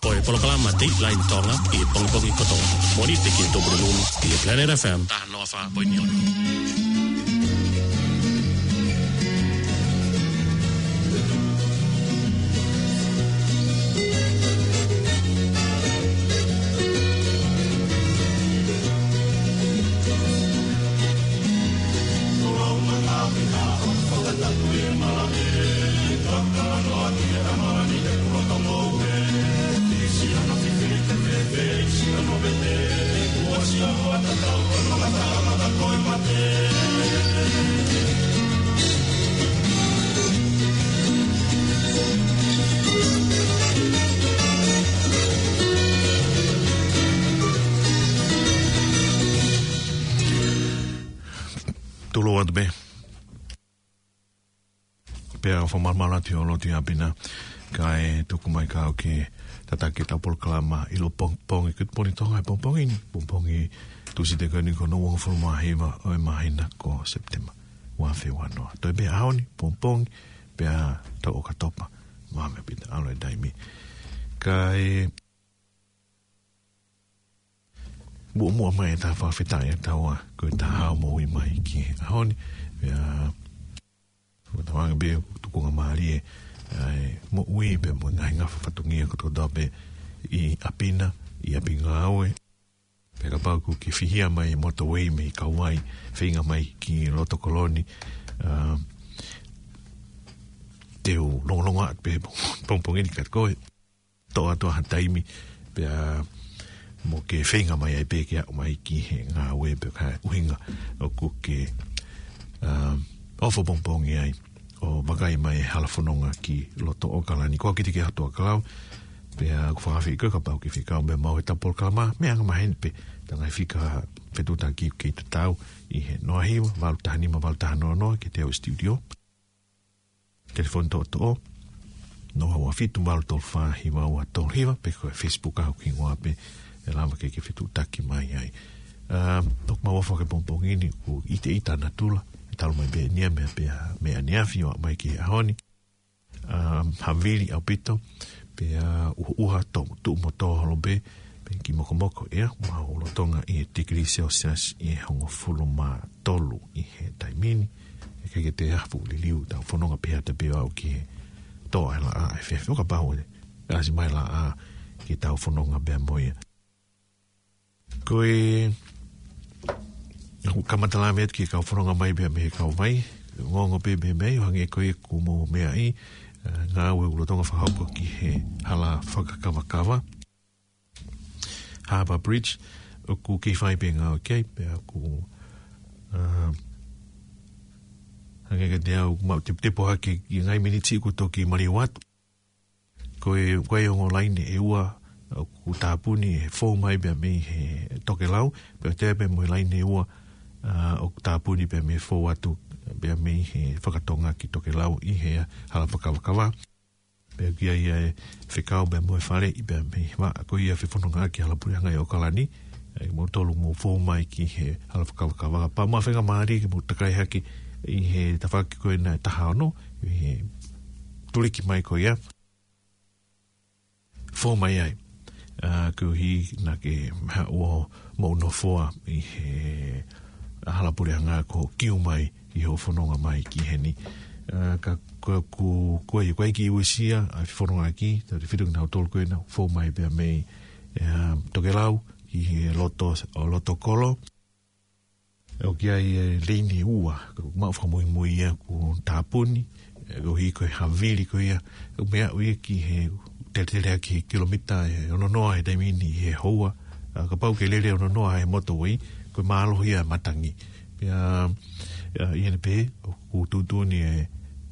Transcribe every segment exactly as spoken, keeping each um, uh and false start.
Ko e polokalama Dateline Tonga ʻi he pongipongi kotoa. Mōnite ki he Tupulelulu ʻi he Planet F M. Taha noa fā poini ono. Tulou atu pē. Pea ʻoku ou fakamālō atu ʻi hoʻo lotu ʻi ʻapi na, kae tuku mai kiate au ke tataki ʻetau polokalama ʻi he pongipongi, ki he pongipongi Tonga he pongipongi ni, pongipongi Tūsite ko eni ko hono uofulu mā hiva ʻo e māhina ko Sepitema, ua afe ua noa. Toe pē ʻaho ni, pongipongi, pea taʻu ʻOkatopa, maʻu pē ʻalu e taimi. Kae muʻomuʻa mai ʻetau fakafetaʻi ʻa taua ko e taha ʻo e moʻui mai ki he ʻaho ni. Pea, ʻoku tau anga pē tukunga mālie, ʻa e moʻui pea mo e ngaahi ngafa fatongia kotoa pē ʻi ʻapi na, ʻi ʻapi ngāue. Pea kapau ʻoku ke fihia mai motuʻa mei Kauaʻi, feinga mai ki loto kolo ni, ʻa, te u longolongo atu pē pongipongi ni ka ko e toʻo atu ha taimi, pea mo ke feinga mai ai pē ke aʻu mai ki he ngāue pea ko e ʻuhinga ʻoku ke, ʻa, ʻofa pongipongi ai ʻo vakai mai e hala fononga ki loto ʻAokalani. Ko kitautolu ki he ʻOtua Kalau, pea ʻoku ou fakaafeʻi koe kapau ʻoku ke fekau mai mo ʻetau polokalama, meʻa angamaheni pē, tau ngaahi fika fetuʻutaki ke tatau ʻi he noa hiva, valu taha nima, valu taha noa noa, ki he studio. Telefoni toʻotoʻo, noa ua fitu, valu tolu fā, hiva ua tolu hiva, pe ko e Facebook ʻoku hingoa pē ʻe lava ke ke fetuʻutaki mai ai. ʻA, ʻoku mau ʻofa he pongipongi ni, ʻoku ʻiteʻita natula, ʻe talu mai pē ʻeni ia meʻa pea, meʻa ʻaneafi ʻo aʻu mai ki he ʻaho ni. ʻA, havili ʻaupito, pea ʻuha, ʻuha tō, tuʻu mo tō holo pē, pea kiʻi mokomoko ʻea, mau lolotonga ʻi he tikilī Celsius ʻi he hongofulu mā tolu ʻi he taimi ni. ʻIkai ke toe ʻi ai ha fuʻu liliu ʻetau fononga pehē atu pē ʻo aʻu ki he tō ʻa e laʻā ʻa e efiafi, ʻo kapau ʻe ʻasi mai e laʻā ke tau fononga pea mo ia. Ko e, ʻoku kamata lave atu ki he kau fononga mai pea mei he kau vai, ongoongo pē mei he meʻa, ʻo hangē ko ia kuo mou meaʻi, ʻa, ngāue ʻoku lolotonga fakahoko ki he hala fakakavakava. Harbour Bridge, ʻoku kei fai pē ngāue ki ai, pea ʻoku, ʻa, hangē kiate au, mau teputepu hake ʻi he ngaahi miniti ʻoku toki maliu atu. Ko e, ko e ongo laine ʻe ua, ʻoku tāpuni ʻe fou mai pea mei he tokelau, pea toe pē mo e laine ʻe ua, ʻa, ʻoku tāpuni pea mei he fou atu, pea mei he fakatonga ki tokelau ʻi he hala fakakavakava. Pea ʻoku ʻi ai ʻa e fekau pea mo e faleʻi pea mei he vaʻa ko ia fefonongaʻaki hala puleʻanga ʻi ʻAokalani, ʻa ia mou tolu mou fou mai ki he hala fakakavakava. Pea mo e faingamālie ke mou takai hake ʻi he tafaʻaki ko ena ʻe taha ono, ʻi he tuliki mai ko ia. Fou mai ai, ʻa, koeʻuhi naʻa ke haʻu ʻo mou nofoa ʻi he hala puleʻanga ko e kiu mai ʻi hoʻo fononga mai ki heni. ʻA, ka ko, ko, ko e, ko e kiʻi uesia ʻa e fefonongaʻaki, tautefito kinautolu ko ena ʻoku fou mai pea mei, ʻa, tokelau ki he loto, ʻo loto kolo. ʻOku ʻi ai e leini ʻe ua, ka ʻoku mau fakamuimui ia kuo tāpuni, ʻa, koeʻuhi ko e havili ko ia, ʻoku meʻa ʻo ia ki he teletele ʻaki he kilomita ʻe ono noa he taimi ni he houa, ʻa, kapau ʻoku ke lele ono noa he motorway, ko e mālohi ia e matangi. Pea, ʻa, ʻi heʻene pehē, ʻoku tuʻutuʻuni ʻe,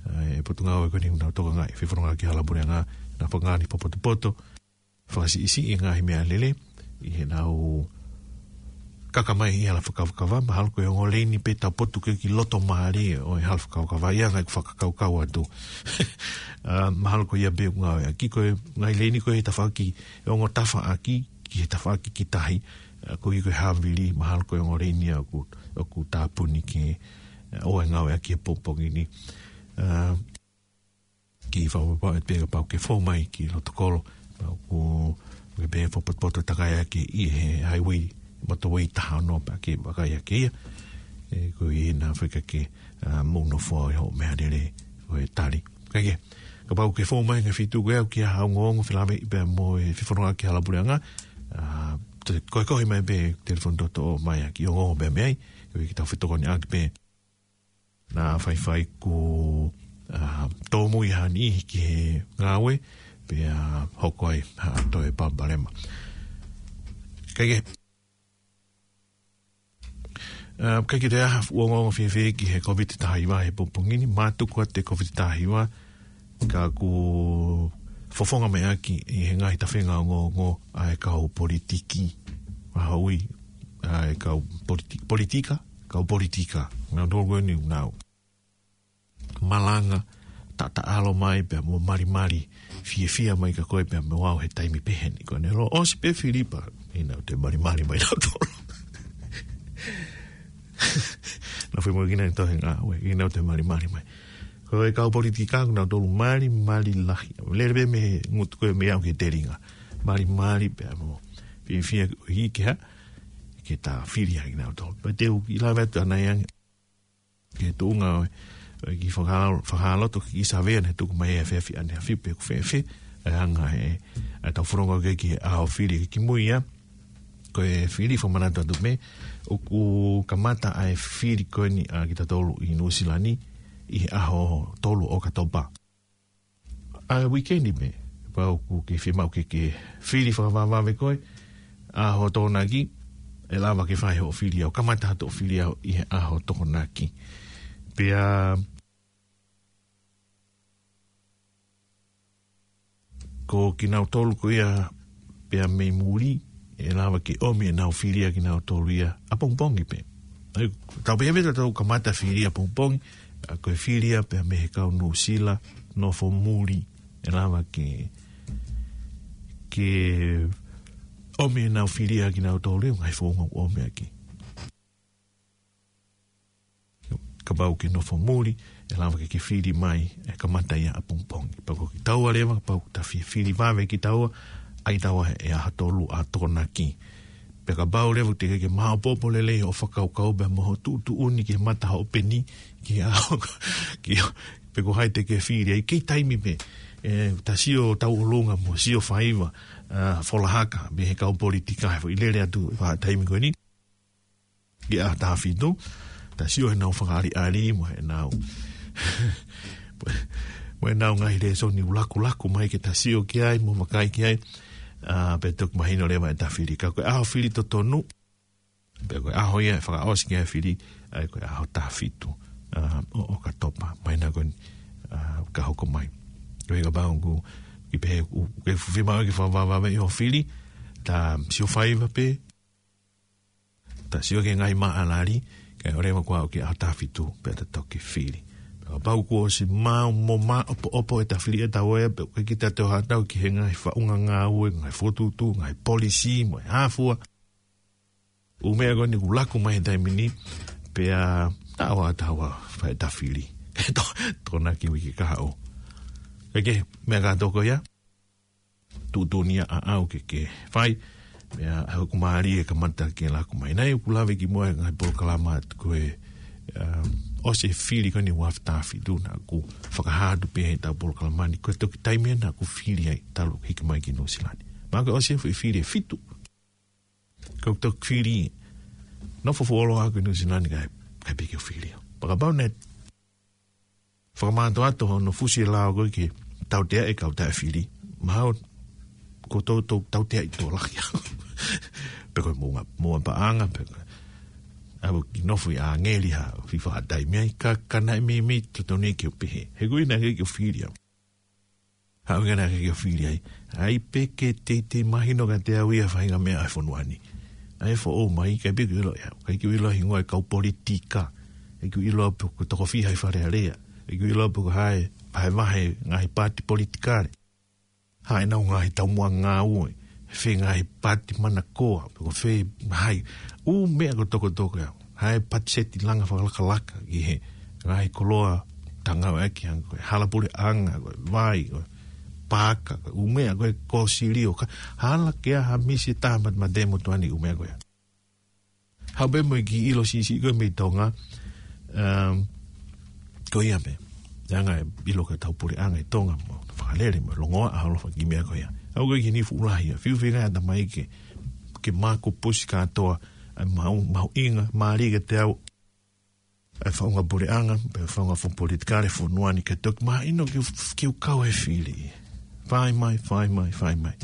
ʻa, e Potungāue ko eni ʻoku nau tokangaʻi e fefonongaʻaki hala puleʻanga, naʻa nau fakaʻaongaʻi e fakapotopoto, fakasiʻisiʻi e ngaahi meʻalele, ʻi heʻenau kaka mai ʻi he hala fakakavakava, mahalo ko e ongo leini pē taupotu ki he loto mālie ʻo e hala fakakavakava, ʻi he anga ʻeku fakakaukau atu. ʻA, mahalo ko ia pē ʻoku ngāueʻaki, ko e ngaahi leini ko ē he tafaʻaki, ʻe ongo tafaʻaki, ki he tafaʻaki ki tahi, ʻa, koeʻuhi ko e havili, mahalo ko e ongo leini ia ʻoku, ʻoku tāpuni ke, ʻa, ʻoua ʻe ngāueʻaki he pongipongi ni. ʻA, kiʻi fakapapauʻi pē kapau ʻoku ke fou mai ki loto kolo, pea ʻoku pē fakapotopoto takai ake ʻi he highway, motorway taha ono pea ke vakai ake ia. ʻE, ko ia naʻa faʻa ke, ʻa, mou nofo ʻi hoʻo meʻalele, ko e tali. Kae kehe, kapau ʻoku ke fou mai he ngaahi feituʻu ko ia ʻoku ʻi ai ha ongoongo felāveʻi pea mo e fefononga ki he hala puleʻanga, ʻa, te, ko e kohi mai pē telefoni toto mai ʻaki ongoongo pē mei ai, ko ia ke tau fetokoniʻaki pē. Naʻa faifai kuo, ʻa, tōmui ha niʻihi ki he ngāue, pea hoko ai ha toe palopalema. Kae kehe, ʻa, kae kehe, ʻi ai ha fuʻu ongoongo fēfē ki he Kōviti taha hiva he pongipongi ni? Mātuku atu e Kōviti taha hiva, ka kuo fofonga mai ʻaki ʻi he ngaahi tafenga ongoongo ʻa e kau politiki. ʻA, ui, ʻa e kau politi-, politika, kau politika. Naʻa nau ʻoku nau malanga, taʻataʻalo mai pea mo malimali fiefia mai kia koe pea mo au he taimi pehē ni. Ko ʻene ʻalu ʻo ʻosi pē fili pea ʻi heʻenau toe malimali mai nautolu. Naʻa faʻa mo kina tohi ngā, ʻo ʻenau toe malimali mai. Ko e kau politika ʻoku nau tolu malimali lahi. Lele pē mei he ngutu ko ē mei au ki he telinga. Malimali pea mo fiefia ʻi he hā, ke ta fili ʻaki nautolu. Pea te u kiʻi lave atu ʻanai ange ki he tuʻunga ʻo e, ʻo e kiʻi fakahā-, fakahāloto ki he savea naʻe tuku mai he efiafi ʻaneafi pe ʻoku fēfē ʻa e anga e, ʻa e tau fononga ko ē ki he ʻaho fili. Ki mui ia, ko e fili, fakamanatu atu pē, ʻoku kamata ʻa e fili ko eni ʻa kitautolu ʻi Nuʻusila ni ʻi he ʻaho tolu ʻOkatopa. ʻA e weekend pē, kapau ʻoku ke fiemaʻu ke ke fili fakavavevave koe, ʻaho Tokonaki, ʻe lava ke fai hoʻo fili au, kamata hoʻo fili au ʻi he ʻaho Tokonaki. Pea ko kinautolu ko ia pea mei muli, ʻe lava ke ʻomi ʻenau fili ʻa kinautolu ia ʻapongipongi pē. ʻAi, tau pehē pē ʻetau kamata fili ʻapongipongi, ʻa, ko e fili ia pea mei he kau Nuʻusila nofo muli, ʻe lava ke, ke ʻomi ʻenau fili ʻa kinautolu ia, ngaahi founga ʻoku ʻomi ʻaki. Kapau ke nofo muli, ʻe lava ke ke fili mai, ʻe kamata ia ʻapongipongi. Pea ko kitaua leva, kapau ʻoku ta fie fili vave kitaua, ʻai taua he ʻaho tolu ʻa Tokonaki. Pea kapau leva ʻoku teʻeki ke ke maʻopoʻopo lelei hoʻo fakakaukau pea mo hoʻo tuʻutuʻuni ki he mata hoʻo peni, ki he ʻaho, ki, pe ko hai te ke fili ai, kei taimi pē, ʻe, ta sio tauʻolunga mo sio faiva, ʻa, folahaka, mei he kau politika, he foʻi lele atu, ʻa e taimi ko eni. Ki he ʻaho taha fitu, ta sio heʻenau fakaʻaliʻali, mo heʻenau, mo heʻenau ngaahi lēsoni ʻoku lakulaku mai ke ta sio ki ai, mo vakai ki ai, ʻa, pea toki mahino leva ʻeta fili. Ka ko e ʻaho fili totonu, pea ko e ʻaho ia ʻe fakaʻosi ki ai e fili, ʻa ia ko e ʻaho taha fitu, ʻa, ʻo, ʻOkatopa, māhina ko eni, ʻa, ka hoko mai. Ko e kapau ʻoku ke pehē ʻoku ke fiemaʻu ke fakavavevave hoʻo fili, ta sio faiva pē, ta sio ki he ngaahi māʻalali, kae ʻoua leva kuo aʻu ki he ʻaho taha fitu, pea ta toki fili. Pea kapau kuo ʻosi maʻu mo maʻopoʻopo ʻeta fili ʻe taua ia, pea ʻoku ʻikai ke ta toe haʻatau ki he ngaahi faʻunga ngāue, ngaahi fokotuʻutuʻu, ngaahi polisī, mo e hā fua. ʻŪ meʻa ko eni ʻoku laku mai he taimi ni, pea taua, taua, fai ʻeta fili. Ke to, Tokonaki uike kahaʻu. Kae kehe, meʻa kātoa ko ia, tuʻutuʻuni ia ʻaʻau ke ke fai, meʻa ʻoku mālie kamata ke laku mai. Naʻe ʻoku lave kimuʻa he ngaahi polokalama atu ko e, um, ʻosi e fili ko eni ʻo e ʻaho taha fitu naʻa ku fakahā atu pē he ʻetau polokalama ni, ko e toki taimi ia naʻa ku fili ai talu hiki mai ki Nuʻusila ni. Mahalo ko e ʻosi e foʻi fili ʻe fitu. Ko e toki fili, nofo fuoloa ʻaku ʻi Nuʻusila ni kae, kae piki ʻo fili. Pea kapau naʻe fakamātoato hono fusi e lao ko ē ke tautea e kau taʻefili. Mahalo ko e tau, tau, tautea ʻi tō lahi. Pe ko e moʻunga, moʻunga paʻanga, pe ko e, ʻa, ʻoku nofo ʻi ʻāngeli ha, fifa ha taimi ai, ka, ka naʻe meimei totonu ke u pehē. He ko e ʻuhinga ke u fili au. Haʻu ʻikai ke u fili ai. ʻAi pē ke teitei mahino kiate au ia faʻahinga meʻa ʻa e fonua ni. ʻAi foʻou mai, ʻikai pē ke u ʻilo ia. ʻIkai ke u ʻilo hingoa e kau politika. ʻIkai ke u ʻilo pe ko e toko fiha ʻi Fale Alea. ʻIkai ke u ʻilo pe ko hai, vahevahe ngaahi paati politikale. Hā ʻenau ngaahi taumuʻa ngāue. Fē ngaahi paati manakoa. Pe ko fē hai. ʻŪ meʻa ko e tokotoko ia. Hai patiseti langa fakalakalaka ki he ngaahi koloa ta ngāueʻaki hangē ko e hala puleʻanga, ko e vai, ko e paaka, ʻū meʻa ko ē ko e silio ka, hala ke ʻai ha misi ʻe taha mate, mate mo tuani ʻū meʻa ko ia. Haʻu pē mo e kiʻi ʻilo siʻisiʻi ko ē mei Tonga, um, ko ia pē. Anga e ʻilo ko ē ʻetau puleʻanga ʻi Tonga mo fakalele mo longoaʻa holo faki meʻa ko ia. Aʻu ko ē ki he niʻihi fuʻu lahi ia. Fiu feinga ʻa e tamai ke, ke maku pusi kātoa, ʻa e mahu-, mahuʻinga, mālie kiate au, ʻa e faʻunga puleʻanga, pe faʻunga fo politikale fonua ni ke toki mahino ke, ke u kau he fili. Fai mai, fai mai, fai mai.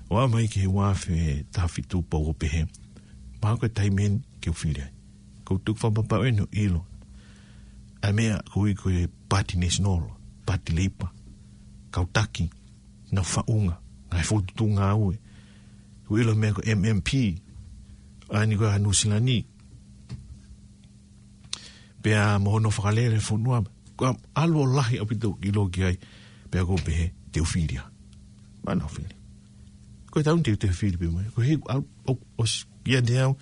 ʻO aʻu mai ki he ua afe taha fitu pau ʻo pehē. Mahalo ko e taimi eni ke u fili ai. Ko u tuku fakapapau eni ʻo ʻilo. ʻA e meʻa ko ē ko e Pāti National, Pāti Leipa, kau taki, nau faʻunga, ngaahi fokotuʻutuʻu ngāue. Ko u ʻilo meʻa ko e M M P, ʻa eni ko ē ʻa Nuʻu Sila ni. Pea mo hono fakalele fonua. Ko e ʻalu ʻo lahi ʻaupito ʻilo ki ai. Pea ko u pehē, te u fili ia. Mahalo naʻa u fili. Ko e taimi te u, te u fili pē mai. Ko e hiki, ʻalu, ʻo, ʻosi, kiate au.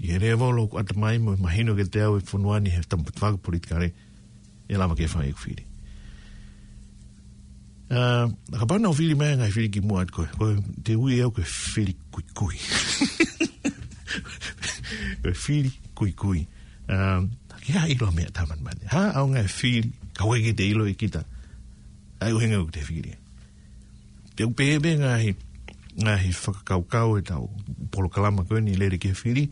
ʻI he lēvolo ʻoku ʻatamai mo mahino kiate au e fonua ni he tafaʻaki politikale. ʻE lava ke fai ʻeku fili. ʻA, kapau naʻa u fili mai ngaahi fili kimuʻa atu ko ē. Ko e te u ui au ko e fili kuikui. Ko e fili kuikui. ʻA, ke ʻai ʻilo meʻa taha mate mate. Ha, ʻaonga e fili, ka ʻoku ʻikai ke te ʻilo ʻe kita. ʻA e ʻuhinga ʻoku te fili. Te u pehē pē ngaahi, ngaahi fakakaukau ʻetau polokalama ko eni lele ki he fili,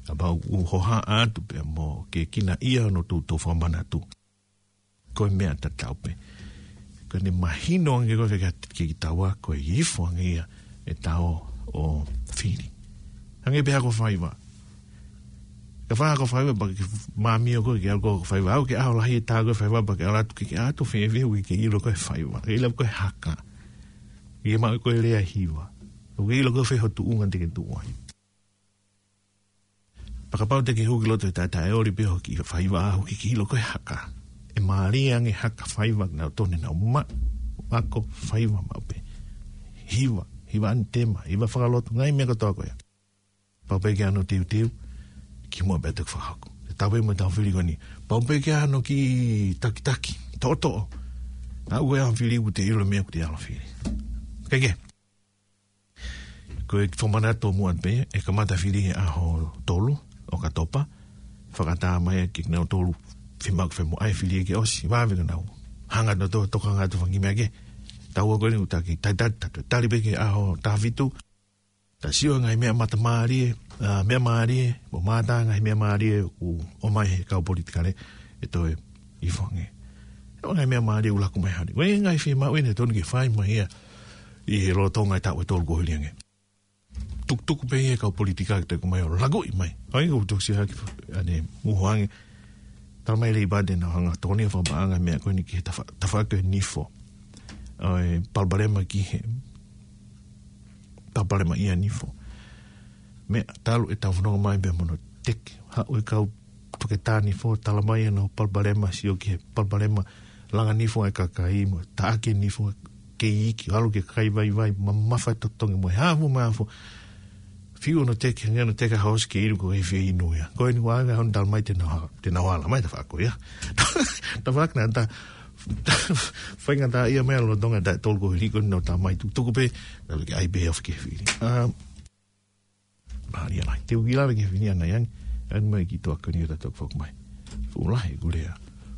kapau ʻoku hohaʻa atu pea mo ke kinaʻia hono toutou fakamanatu. Ko e meʻa tatau pē. Ko ʻene mahino ange ko ē ke, ke, ke taua ko e ifo ange ia ʻetau ō ʻo fili. Hangē pē ha ko e faiva. Kapau ko e faiva, pea ke māmio ko ē ke ʻalu ko ē ko e faiva. ʻAʻu ki he ʻaho lahi e tā ko ē faiva, pea ke ʻalu atu ke, ke ʻatu fēfē ʻoku ʻikai ke ʻilo ko e faiva. Ke ʻilo ko e haka. ʻIkai ke maʻu ko e lea hiva. ʻOku ʻikai ke ʻilo ko e fē ho tuʻunga te ke tuʻu ai. Pea kapau te ke hū ki loto he taʻetaʻeoli pē ho kiʻi faiva ʻoku ʻikai ke ʻilo ko e haka. ʻE mālie ange haka faiva naʻa nau tonu naʻa nau maʻu. Ako faiva maʻu pē. Hiva, hiva ʻanitema, hiva fakalotu, ngaahi meʻa kotoa ko ia. Pau pē ke ʻai hono teuteu, kimuʻa pea toki fakahoko. Tatau pē mo ʻetau fili ko eni. Pau pē ke ʻai hono kiʻi takitaki, toʻotoʻo. Aʻu ko ē ʻa e fili ʻoku te ʻilo meʻa ʻoku te ʻalu ʻo fili. Ke ke. Ko e fakamanatu muʻa pē, ʻe kamata fili he ʻaho tolu ʻo ʻOkatopa. Fakaʻatā mai ke nau tolu fiemaʻu ke fai mo ʻai fili ke ʻosi, vave ke nau hanga ʻo to-, tokanga atu fanga kiʻi meʻa kehe. Taua ko eni ʻoku taki, tali, tali, tali, tali pē ki he ʻaho taha fitu. Ta sio ngaahi meʻa matamālie, ʻa, meʻa mālie, mo mātā ngaahi meʻa mālie ʻoku ʻomai he kau politikale, ʻe toe ifo ange. ʻO ngaahi meʻa mālie ʻoku laku mai hali. Ko e ngaahi fiemaʻu ʻeni ʻe tonu ke fai mai ia ʻi he lolotonga e taʻu ʻe tolu kuo hili ange. Tukutuku pē ia kau politikale ke toe ʻomai ʻo lakuʻi mai. ʻOi, ʻoku tokosiʻi hake, ʻa eni, muhu ange. Tala mai Leipa te nau hanga ʻo tokoni fakapaʻanga meʻa ko eni ki he tafa-, tafaʻaki ʻo e nifo. ʻOi, palopalema ki he, palopalema ʻi he nifo. Meʻa talu ʻetau fononga mai pea mo hono teke. Haʻu e kau toketā nifo, tala mai ʻenau palopalema, sio ki he palopalema langa nifo ʻa e kakai mo taʻaki e nifo kei iiki, ʻalu ki he kakai vaivai, mamafa e totongi mo e hā fua mo e hā fua. Fiu hono teke, hangē hono teke ha hoosi ke inu ko e fie inu ia. Ko eni ʻoku ʻaonga hono tala mai te nau ha-, te nau ala mai tafaʻaki ia. Tafaʻaki naʻa ta, ta, faingataʻaʻia mai ʻa e lolotonga e taʻu ʻe tolu kuo hili ko eni naʻa ta mai tukutuku pē, naʻa ke ʻai pē ʻo fiki he fili. ʻA, mālie lahi. Te u kiʻi lave ki he fili ʻanai ange, ʻa eni mai ki he toʻa ko eni ʻo ta toki foki mai. Fuʻu lahi ʻeku lea.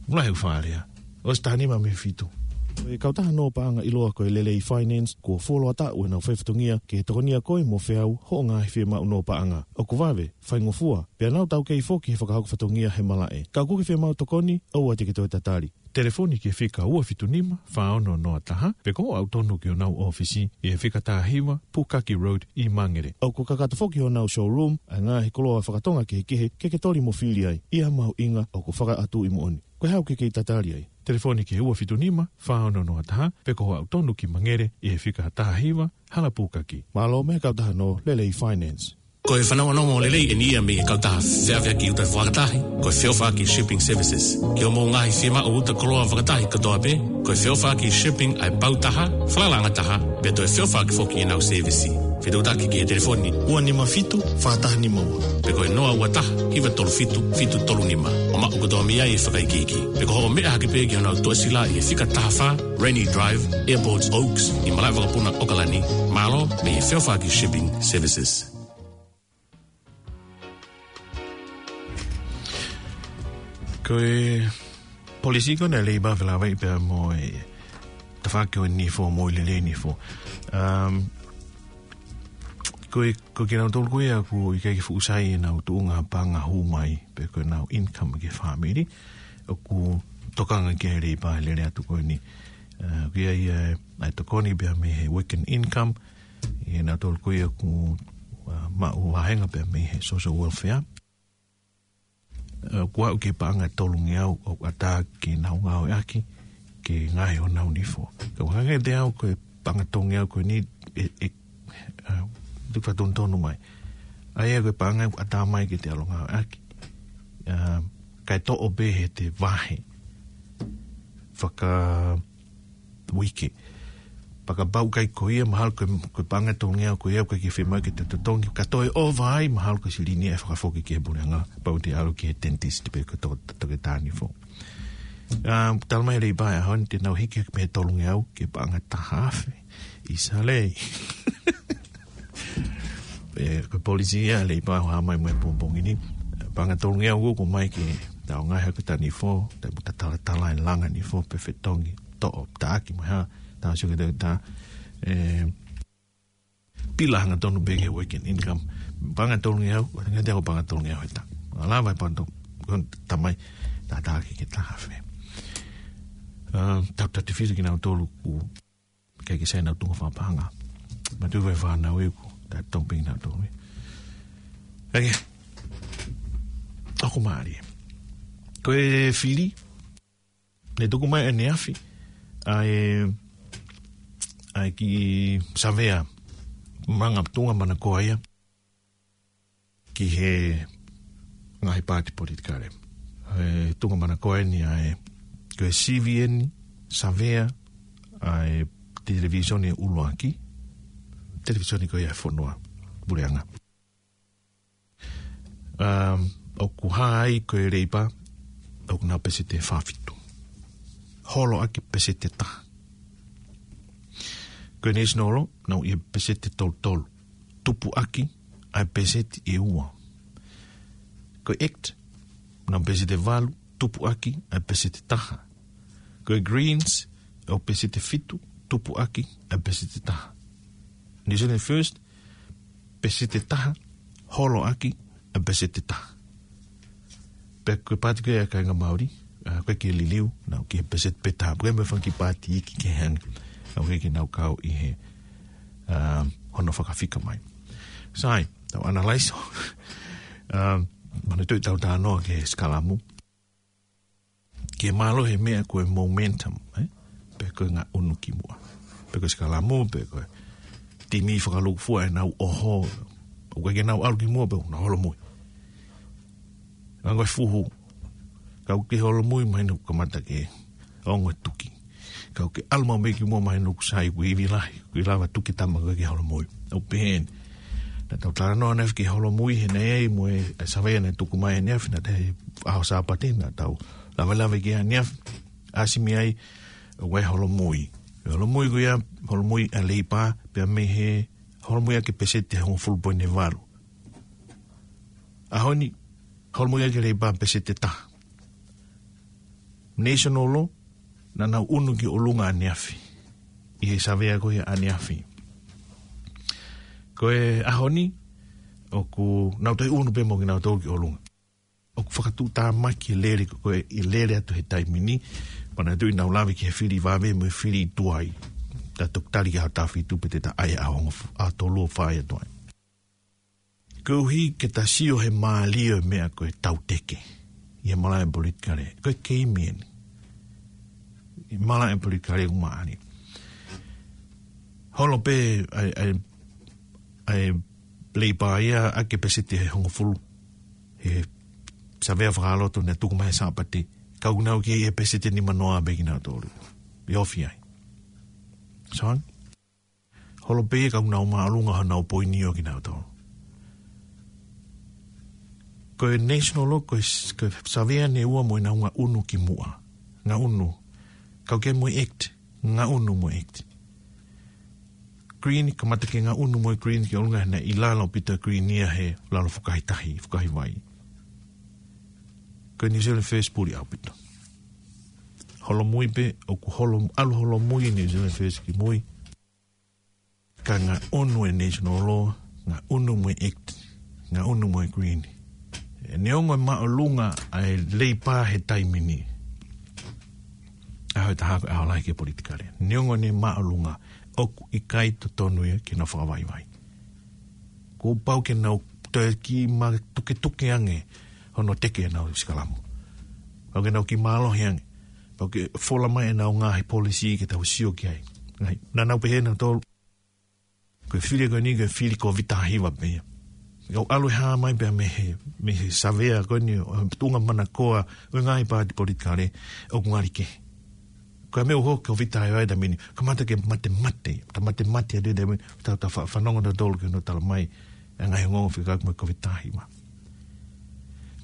Fuʻu lahi ʻeku fakalea. ʻOsi taha nima mei he fitu. Ko e kautaha nō paʻanga ʻiloa ko e Lelei Finance, kuo fuoloa taʻu ʻenau fai fatongia ke tokonia koe mo feau hoʻo ngaahi fiemaʻu nō paʻanga. ʻOku vave, faingofua, pea nau taukei foki he fakahoko fatongia he malaʻe. Ka ʻoku ke fiemaʻu tokoni, ʻoua te ke toe tatali. Telefoni ki he fika ua fitu nima, fā ono noa taha, pe ko hoʻo aʻu tonu ki honau ʻōfisi ʻi he fika taha hiva, Pukaki Road ʻi Mangere. ʻOku kakato foki honau showroom ʻa e ngaahi koloa fakatonga kehekehe ke ke toli mo fili ai, ʻi ha mahuʻinga ʻoku fakaʻatuʻi moʻoni. Ko e hā ʻoku ke kei tatali ai? Telefoni ki he ua fitu nima, fā ono noa taha, pe ko hoʻo aʻu tonu ki Mangere ʻi he fika taha hiva, Hala Pukaki. Mālō mei he kautaha nō Lelei Finance. Ko e fanongonongo lelei eni ia mei he kautaha feʻaveʻaki uta fakatahi, ko e feʻofaʻaki shipping services. Ki hoʻomou ngaahi fiemaʻu uta koloa fakatahi kotoa pē, ko e feʻofaʻaki shipping ʻa e pau taha, falalaʻanga taha, pea toe feʻofaʻaki foki ʻenau sēvisi. Fetuʻutaki ki he telefoni ua nima fitu, fā taha nima ua. Pe ko e noa ua taha, hiva tolu fitu, fitu tolu nima. ʻO maʻu kotoa mei ai e fakaikiiki. Pe ko hoʻo meʻa hake pē ki honau toʻesila ʻi he fika taha fā, Rennie Drive, Airport Oaks, ʻi Malaʻevakapuna, ʻAokalani. Mālō, mei he feʻofaʻaki shipping services. Ko e polisi ko ena ʻa e Leipa felāveʻi pea mo e tafaʻaki ʻo e nifo mo e lelei nifo. Um, ko e, ko kinautolu ko ia ʻoku ʻikai ke fuʻu sai ʻenau tuʻunga paʻanga hū mai, pe ko ʻenau income ki he fāmili, ʻoku tokanga ki ai e Leipa he lele atu ko eni. Uh, ko ia ia, ʻa e tokoni pea mei he weekend income, ʻi heʻenau tolu ko ia ʻoku, uh, maʻu vāhenga pea mei he social welfare. Uh, ʻoku aʻu ki he paʻanga ʻe tolungeau ʻoku ʻatā ke nau ngāueʻaki ke ngaohi honau nifo. Ka ʻoku hangē te au ko e paʻanga tolungeau ko eni ʻe, ʻe, uh, tuku fatonutonu mai. ʻA ia ko e paʻanga ʻoku ʻatā mai ke te ʻalu ngāueʻaki. Uh, kae toʻo pē heʻete vahe faka uike. Pea kapau ʻikai ko ia, mahalo ko e, ko e paʻanga ʻe tolungeau ko ia ʻoku ʻikai ke fiemaʻu ke te totongi. Ka toe ʻova ai, mahalo ko e silini ia ʻe fakafoki ki he puleʻanga, kapau te ʻalu ki he dentist pe ko e to-, to-, toketā nifo. Ah, talamai ʻe he Leipa he ʻaho ni te nau hiki mei he tolungeau ki he paʻanga ʻe taha afe. ʻIsale. Pea ko e polisi ia ʻa e Leipa ʻoku hā mai mo e pongipongi ni. Paʻanga ʻe tolungeau ʻoku ʻomai ke tau ngaahi hake ʻeta nifo, tau talatala e langa nifo, pe fetongi, toʻo, taʻaki mo e hā, tau sio ki he toketā, ē, pila hangatonu pē ki he weekend income. Paʻanga ʻe tolungeau, ʻo hangē te au paʻanga ʻe tolungeau he taʻu. ʻA lava e paʻanga ʻe tolu, ko e tamai, taʻaki ki he taha afe. Ah, tau tatefito kinautolu ʻoku ʻikai ke sai ʻenau tuʻunga fakapaʻanga. Matu vai fānau ʻeku, ta tong ping na tong. Ake. ʻOku mālie. Ko e fili, ne tuku mai ʻaneafi, ʻa e, ʻa e kiʻi savea, manga tuʻunga manakoa ia ki he ngaahi paati politikale. He tuʻunga manakoa eni ʻa e, ko e sivi eni, savea, ʻa e televīsone ʻuluaki, televīsone ko ia ʻa e fonua, puleʻanga. Um, ʻoku hā ai ko e Leipa, ʻoku nau peseti ʻe fā fitu. Holo ʻaki peseti ʻe taha. Ko e National Law, nau ʻi he peseti ʻe tolu tolu. Tupu ʻaki ʻa e peseti ʻe ua. Ko e Act, nau peseti ʻe valu, tupu ʻaki ʻa e peseti ʻe taha. Ko e Greens, ʻoku peseti ʻe fitu, tupu ʻaki ʻa e peseti ʻe taha. New Zealand First, peseti ʻe taha, holo ʻaki ʻa e peseti ʻe taha. Pea ko e paati ko ia ʻa e kāinga Māori, ah, ʻoku ʻikai ke liliu, nau ki he peseti pē taha, ʻoku ʻikai mo e fanga kiʻi paati iiki ke hang, ʻoku ʻikai ke nau kau ʻi he, ah, hono fakafika mai. Sai, tau analyze ʻo, ah, manatuʻi ʻetau talanoa ki he sikalamu. Ke mālohi e meʻa ko e momentum, eh? Pe ko e ngaʻunu ki muʻa. Pe ko e sikalamu, pe ko e timi fakalūkufua ʻenau ʻoho. ʻOku ʻikai ke nau ʻalu ki muʻa, pea nau holomui. Ngango e fuhu. Kau ke holomui, mahino kuo kamata ke ongo e tuki. Kau ke ʻalu maʻu mei ki muʻa, mahino kuo sai, kuo ivi lahi, kuo lava tuki tama ko ē ke holomui. ʻOku pehē ni. Naʻa tau talanoa ʻaneafi ki he holomui he naʻe ʻi ai mo e, e savea naʻe tuku mai ʻaneafi, naʻe ʻi ai he ʻaho Sāpate, naʻa tau lavelave ki ai ʻaneafi, ʻasi mei ai, ʻoku ʻi ai e holomui. Holomui ko ia, holomui ʻa e Leipa, pea mei he holomui ʻaki e peseti ʻe hongofulu poini valu. ʻAho ni, holomui ʻaki e Leipa peseti ʻe taha. National Law, naʻa nau ʻunu ki ʻolunga ʻaneafi. ʻI he savea ko ia ʻaneafi. Ko e ʻaho ni, ʻoku nau toe ʻunu pē mo kinautolu ki ʻolunga. ʻOku fakatuʻutāmaki e lele ko ē, e lele atu he taimi ni, manatuʻi naʻa ku lave ki he fili vave mo e fili tuai. Ta toki tali ki he ʻaho taha fitu pe te ta ʻai ʻaho ongo f-, ʻaho tolu ʻo fai atu ai. Koeʻuhi ke ta sio he mālie ʻo e meʻa ko e tauteke. ʻI he malaʻe politikale. Ko e keimi eni. ʻI he malaʻe politikale ʻoku mālie. Holo pē ʻa e, ʻa e, ʻa e Leipa ia ʻaki e peseti ʻe hongofulu he savea fakaloto naʻe tuku mai he Sāpate. Ka ʻoku nau kei he peseti ʻe nimanoa pē kinautolu. ʻE ofi ai. Soang? Holo pē ia ka ʻoku nau māʻolunga honau poini ʻo kinautolu. Ko e National Law, ko e s-, ko e savea ʻe ua mo ʻenau ngaʻunu kimuʻa. Ngaʻunu. Kau ki ai mo e Act. Ngaʻunu mo e Act. Green, kamata ke ngaʻunu mo e Green ki ʻolunga he naʻe ʻi lalo ʻaupito e Green ia he lalo fukahi tahi, fukahi vai. Ko e New Zealand First puli ʻaupito. Holomui pē, ʻoku holo, ʻalu holomui e New Zealand First ki mui. Ka ngaʻunu e National Law, ngaʻunu mo e Act, ngaʻunu mo e Green. ʻE neongo e māʻolunga ʻa e Leipa he taimi ni. ʻAho ʻe taha ko e ʻaho lahi ki he politikale. Neongo ʻene māʻolunga, ʻoku ʻikai totonu ia ke nau fakavaivai. Kuo pau ke nau toe kiʻi matuketuke ange hono teke ʻenau sikalamu. Pau ke nau kiʻi mālohi ange. Pau ke fola mai ʻenau ngaahi policy ke tau sio ki ai. Ngaahi, naʻa nau pehē nautolu, ko e fili ko eni ko e fili Kōviti taha hiva pē ia. ʻOku ʻalu ʻo hā mai pē ia mei he, mei he savea ko eni ʻo e tuʻunga manakoa ʻo e ngaahi paati politikale ʻoku ngali kehe. Ko e meʻa ʻoku hoko Kōviti taha hiva he taimi ni, kamata ke matemate, ta matemate atu he taimi ni, ta, ta fa-, fanongo nautolu ki hono tala mai e ngaahi ongoongo fika mo e Kōviti taha hiva.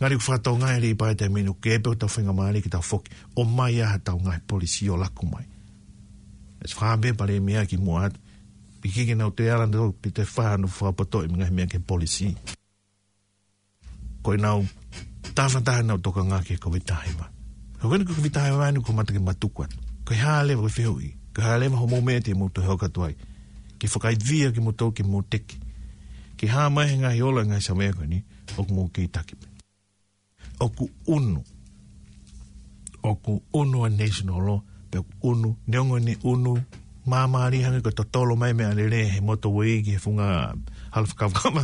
Ngali ʻoku fakatokangaʻi e Leipa he taimi ni, ʻoku kei pē ʻetau faingamālie ke tau foki, ʻomai ʻa haʻatau ngaahi policy ʻo laku mai. ʻE fakaʻamu pē palēmia kimuʻa atu, ʻikai ke nau toe ala nautolu, pe toe fai hano fakapotoʻi e ngaahi meʻa ki he policy. Ko ʻenau tafataha ʻenau tokanga ki he Kōviti taha hiva. Ka ko eni ko e Kōviti taha hiva eni kuo mata ke matuku atu. Ko e hā leva, ko e fehuʻi. Ko e hā leva hoʻomou meʻa te mou toe hoko atu ai ke fakaivia kimoutolu ke mou teke. Ke hā mai he ngaahi ola e ngaahi savea ko eni, ʻoku mou kei taki pē. ʻOku ʻunu. ʻOku ʻunu ʻa e National Law, pea ʻoku ʻunu, neongo ʻene ʻunu māmālie hangē ko e totolo mai mei ʻAlele he motorway ki he funga hala fakakavakava,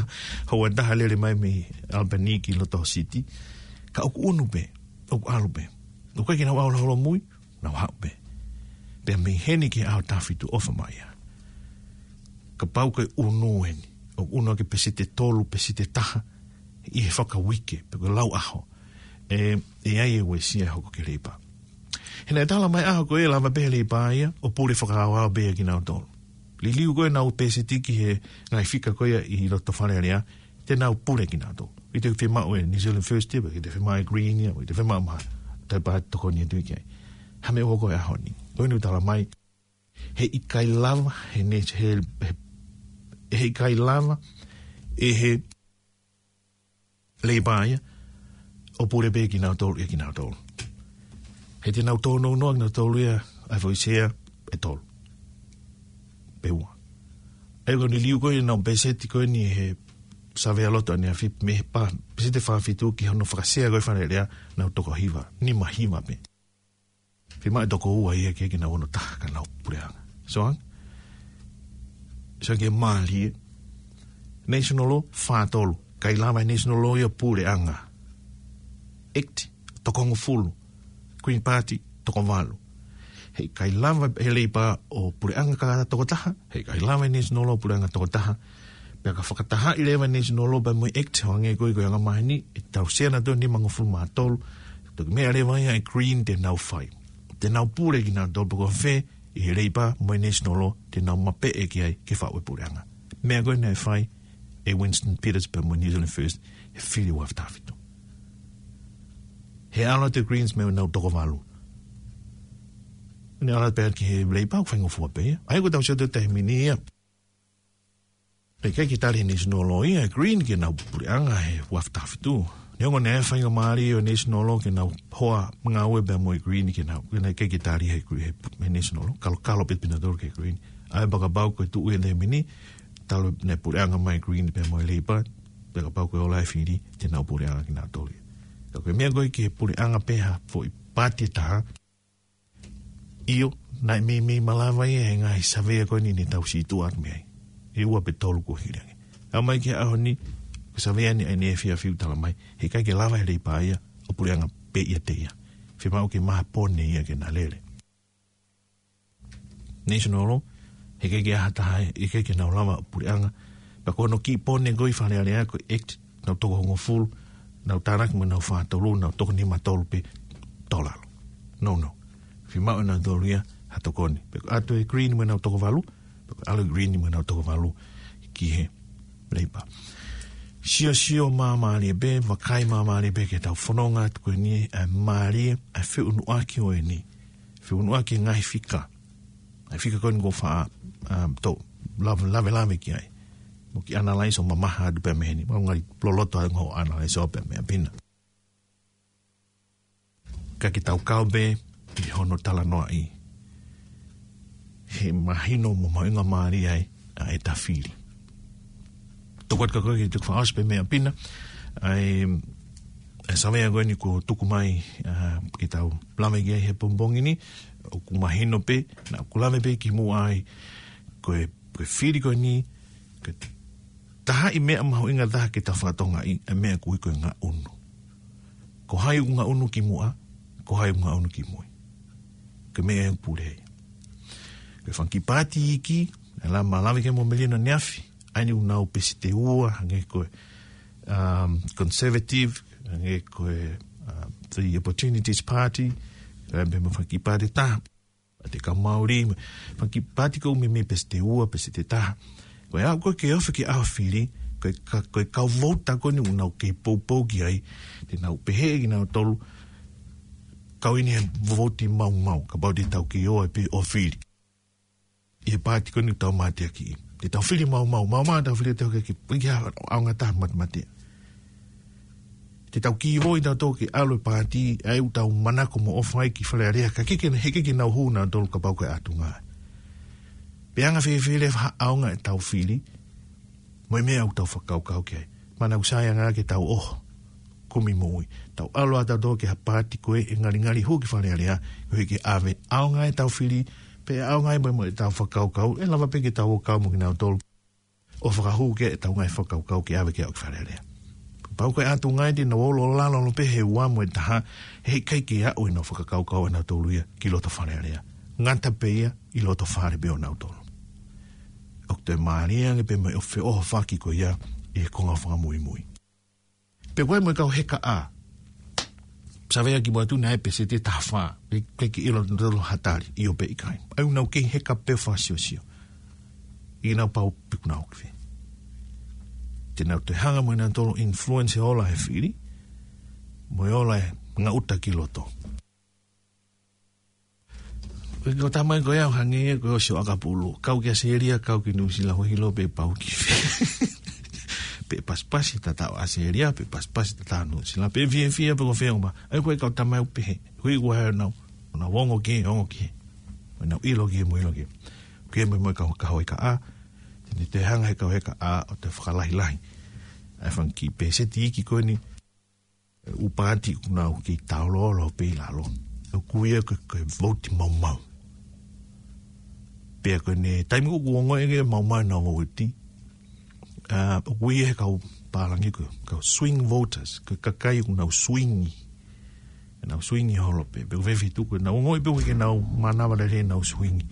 houa ʻe taha lele mai mei Albany ki loto City. Ka ʻoku ʻunu pē, ʻoku ʻalu pē. ʻOku ʻikai ke nau ʻalu holomui, nau haʻu pē. Pea mei heni ki he ʻaho taha fitu ʻofa mai ia. Kapau ko e ʻunu eni, ʻoku ʻunu ʻaki e peseti ʻe tolu, peseti ʻe taha, ʻi he fakauike, pe ko e lau ʻaho. ʻE, ʻe ʻi ai e uesia ʻe hoko ki he Leipa. He naʻe tala mai ʻaho ko ē lava pē he Leipa ia ʻo pule fakaaoao pē ia kinautolu. Liliu ko ē ʻenau peseti ki he ngaahi fika ko ia ʻi loto Fale Alea, te nau pule kinautolu. ʻIkai te fiemaʻu e New Zealand First ia, ʻikai te fiemaʻu e Green ia, ʻikai te fiemaʻu ha toe paati tokoni atu ki ai. Hā e meʻa ʻoku hoko he ʻaho ni? Ko eni ʻoku tala mai, heʻikai lava, he ne-, he, he, heʻikai lava ʻe he Leipa ia ʻo pule pē kinautolu, ʻe kinautolu. He te nau tōnounou kinautolu ia ʻa e foʻi sea ʻe tolu pe ua. ʻA ia ko e liliu ko ē ʻenau peseti ko eni he savea loto ʻaneafi mei he pā, peseti ʻe fā fitu ki hono fakasea ko ē Fale Alea, nau toko hiva, nima hiva pē. Fiemaʻu e toko ua ia ke, ke nau ono taha ka nau puleʻanga. Soang? Soang ke mālie. National Law, fā tolu. ʻIkai lava e National Law ia puleʻanga. Act, toko hongofulu. Green Party, toko valu. Heʻikai lava he Leipa ʻo puleʻanga ka toko taha. Heʻikai lava e National Law puleʻanga toko taha. Pea ka fakatahaʻi leva e National Law pea mo e Act, hangē ko e, ko e anga maheni, ʻe tau sea nautolu nimangofulu mā tolu, toki meʻa leva ia e Green te nau fai. Te nau pule kinautolu pe ko fē, ʻi he Leipa mo e National Law, te nau mapeʻe ki ai ke faʻu e puleʻanga. Meʻa ko ē naʻe fai ʻe Winston Peters pea mo e New Zealand First, he fili ua afe taha fitu. He ʻalu atu e Greens mei heʻenau toko valu. Ne ʻalu atu pē ki he Leipa, ʻoku faingofua pē ia. ʻA ia ko ʻetau sio atu he taimi ni ia. Pea ʻikai ke tali he National Law ia e Green ke nau puleʻanga he ua afe taha fitu. Neongo naʻe faingamālie ʻo e National Law ke nau hoa ngāue pea mo e Green ke nau, ke nau ʻikai ke tali he Gre-, he, he National Law. Kalokalo pē pina tolu ki he Green. ʻA ia pea kapau ko e tuʻu ia he taimi ni, talu naʻe puleʻanga mai e Green pea mo e Leipa, pea kapau ko e ola e fili, te nau puleʻanga kinautolu ia. Ka ko e meʻa ko ē ki he puleʻanga pē ha foʻi paati ʻe taha, ʻio, naʻe meimei malava ia he ngaahi savea ko eni ne tau situʻa atu mei ai. ʻE ua pe tolu kuo hili ange. Aʻu mai ki he ʻaho ni, ko e savea ni ʻa ʻene efiafi ʻoku tala mai, heʻikai ke lava he Leipa ia ʻo puleʻanga pē ʻiate ia. Fiemaʻu ke maha pone ia ke na lele. National Law, heʻikai ke ʻi ai ha taha, heʻikai ke nau lava ʻo puleʻanga, Pea ko hono kī pone ko ē ʻi Fale Alea ko e act, nau toko hongofulu, nau tānaki mo nau fā tolu, nau toko nima tolu pē tō lalo. No, no. Fiemaʻu ʻe nautolu ia ha tokoni. Pe ko e ʻalu ʻa e Green mo nau toko valu, pe ko e ʻalu ʻa e Green mo nau toko valu ki he Labour. Siosio māmālie pē, vakai māmālie pē ki heʻetau fononga atu ko eni, ʻa e mālie, ʻa e feʻunuʻaki ʻo eni. Feʻunuʻaki e ngaahi fika. ʻA e fika ko eni ʻoku ou faʻa, um, tō, lave, lave, lave ki ai. Mo kiʻi analyze ʻo mamaha atu pē mei heni. Mo ngali loloto ʻa e ngaahi analyze ʻo pē meʻa pina. Ka ke tau kau pē ʻi hono talanoaʻi. He mahino mo mahuʻinga mālie ai ʻa ʻeta fili. Tokua ka ko e ke tuku fakaʻosi pē meʻa pina. ʻA e, ʻa e savea ko eni kuo tuku mai, ʻa, ke tau lave ki ai he pongipongi ni, ʻoku mahino pē, naʻa ku lave pē kimuʻa ai, ko e, ko e fili ko eni, ko e taha e meʻa mahuʻinga taha ke tau fakatokangaʻi, ʻa e meʻa ʻoku ui ko e ngaʻunu. Ko hai ʻoku ngaʻunu kimuʻa, ko hai ʻoku ngaʻunu kimui. Ko e meʻa ʻoku pule ai. Ko e fanga kiʻi paati iiki, ʻa e lama lave ki ai mo Melino ʻaneafi, ʻa eni ʻoku nau peseti ua, hangē ko e, um, Conservative, hangē ko e, um, the Opportunities Party, ʻa e pē mo e fanga kiʻi paati ʻe taha, Paati Kau Maori, mo e fanga kiʻi paati ko ē meimei peseti ua, peseti taha. Ko e ʻaho ko ē ke ofi ki he ʻaho fili, ko e ka-, ko e kau vouti ko eni ʻoku nau kei poupou ki ai, te nau pehē kinautolu, kau eni he vouti maumau, kapau te tau kei ō ai pē ʻo fili. ʻI he paati ko eni ʻoku tau mateakiʻi. Te tau fili maumau, maumau tau fili te ke ki, ki ha ʻaonga taha matematea. Te tau kei ō ʻi tautolu ke ʻalu e paati, ʻa ia ʻoku tau manako mo ʻofa ai ki Fale Alea, ka ʻikai ke, heʻikai ke nau hū nautolu kapau ko e ʻatunga. Pe anga fēfē leva ha ʻaonga ʻetau fili, mo e meʻa ʻoku tau fakakaukau ki ai. Manatuʻi ʻa e anga ke tau ʻoho. Kumi moʻui. Tau ʻalu ʻa tautolu ki ha paati ko ē ʻe ngalingali hū ki Fale Alea, koeʻuhi ke ʻave ʻaonga ʻetau fili, pe ʻaonga ia mo, mo ʻetau fakakaukau, ʻe lava pē ke tau ō kau mo kinautolu. ʻO fakahū ki ai ʻetau ngaahi fakakaukau ke ʻave ke aʻu ki Fale Alea. Kapau ko e ʻatunga te nau ō lalo lalo pē he ua mo e taha, heʻikai ke aʻu ʻenau fakakaukau ʻanautolu ia ki loto Fale Alea. Ngata pē ia ʻi loto fale pē ʻonautolu. ʻOku toe mālie ange pē mo e feʻohofaki ko ia ʻi he konga fakamuimui. Pea ko e mo e kau heka ʻā. Savea kimuʻa atu naʻe peseti ʻe taha fā. Pe, pe ke ʻilo nautolu ha tali, ʻio pe ʻikai. ʻA ia ʻoku nau kei heka pē fakasiosio. ʻIkai nau pau pe ʻoku nau ki fē. Te nau toe hanga mo nautolu influence e ola he fili. Mo e ola e ngaʻuta ki loto. Ko e tamai ko ia ʻoku hangē ia ko e ʻosi ʻo ʻakapulu. Kau ki ʻAositelēlia, kau ki Nuʻusila, ʻoku ʻilo pē pau ki fē. Pe pasipasi tatau ʻAositelēlia, pe pasipasi tatau Nuʻusila, pe fiefia pe ko fē ʻo ma. ʻA ia ko e kau tamai ʻoku pehē. Hui ua he nau, nau ongo ki, ongo ki. Mo nau ʻilo ki, mo ʻilo ki. Ke mo, mo e kau, kau heka ʻā. Te ne toe hanga he kau heka ʻā ʻo toe fakalahilahi ʻa e fanga kiʻi peseti iiki ko eni. ʻU paati ʻoku nau kei taoloolo pē ʻi lalo. ʻOku ui ia ko e, ko e vouti maumau. Pea ko ʻene taimi ʻoku ongoʻi ke maumau ʻenau vouti. ʻA, ʻoku ui ia he kau pālangi ko e, kau swing voters. Ko e kakai ʻoku nau swingi. Nau swingi holo pē. Pea ko e fefetuku, nau ongoʻi pē ʻoku ʻikai ke nau mānava lelei ʻenau swingi.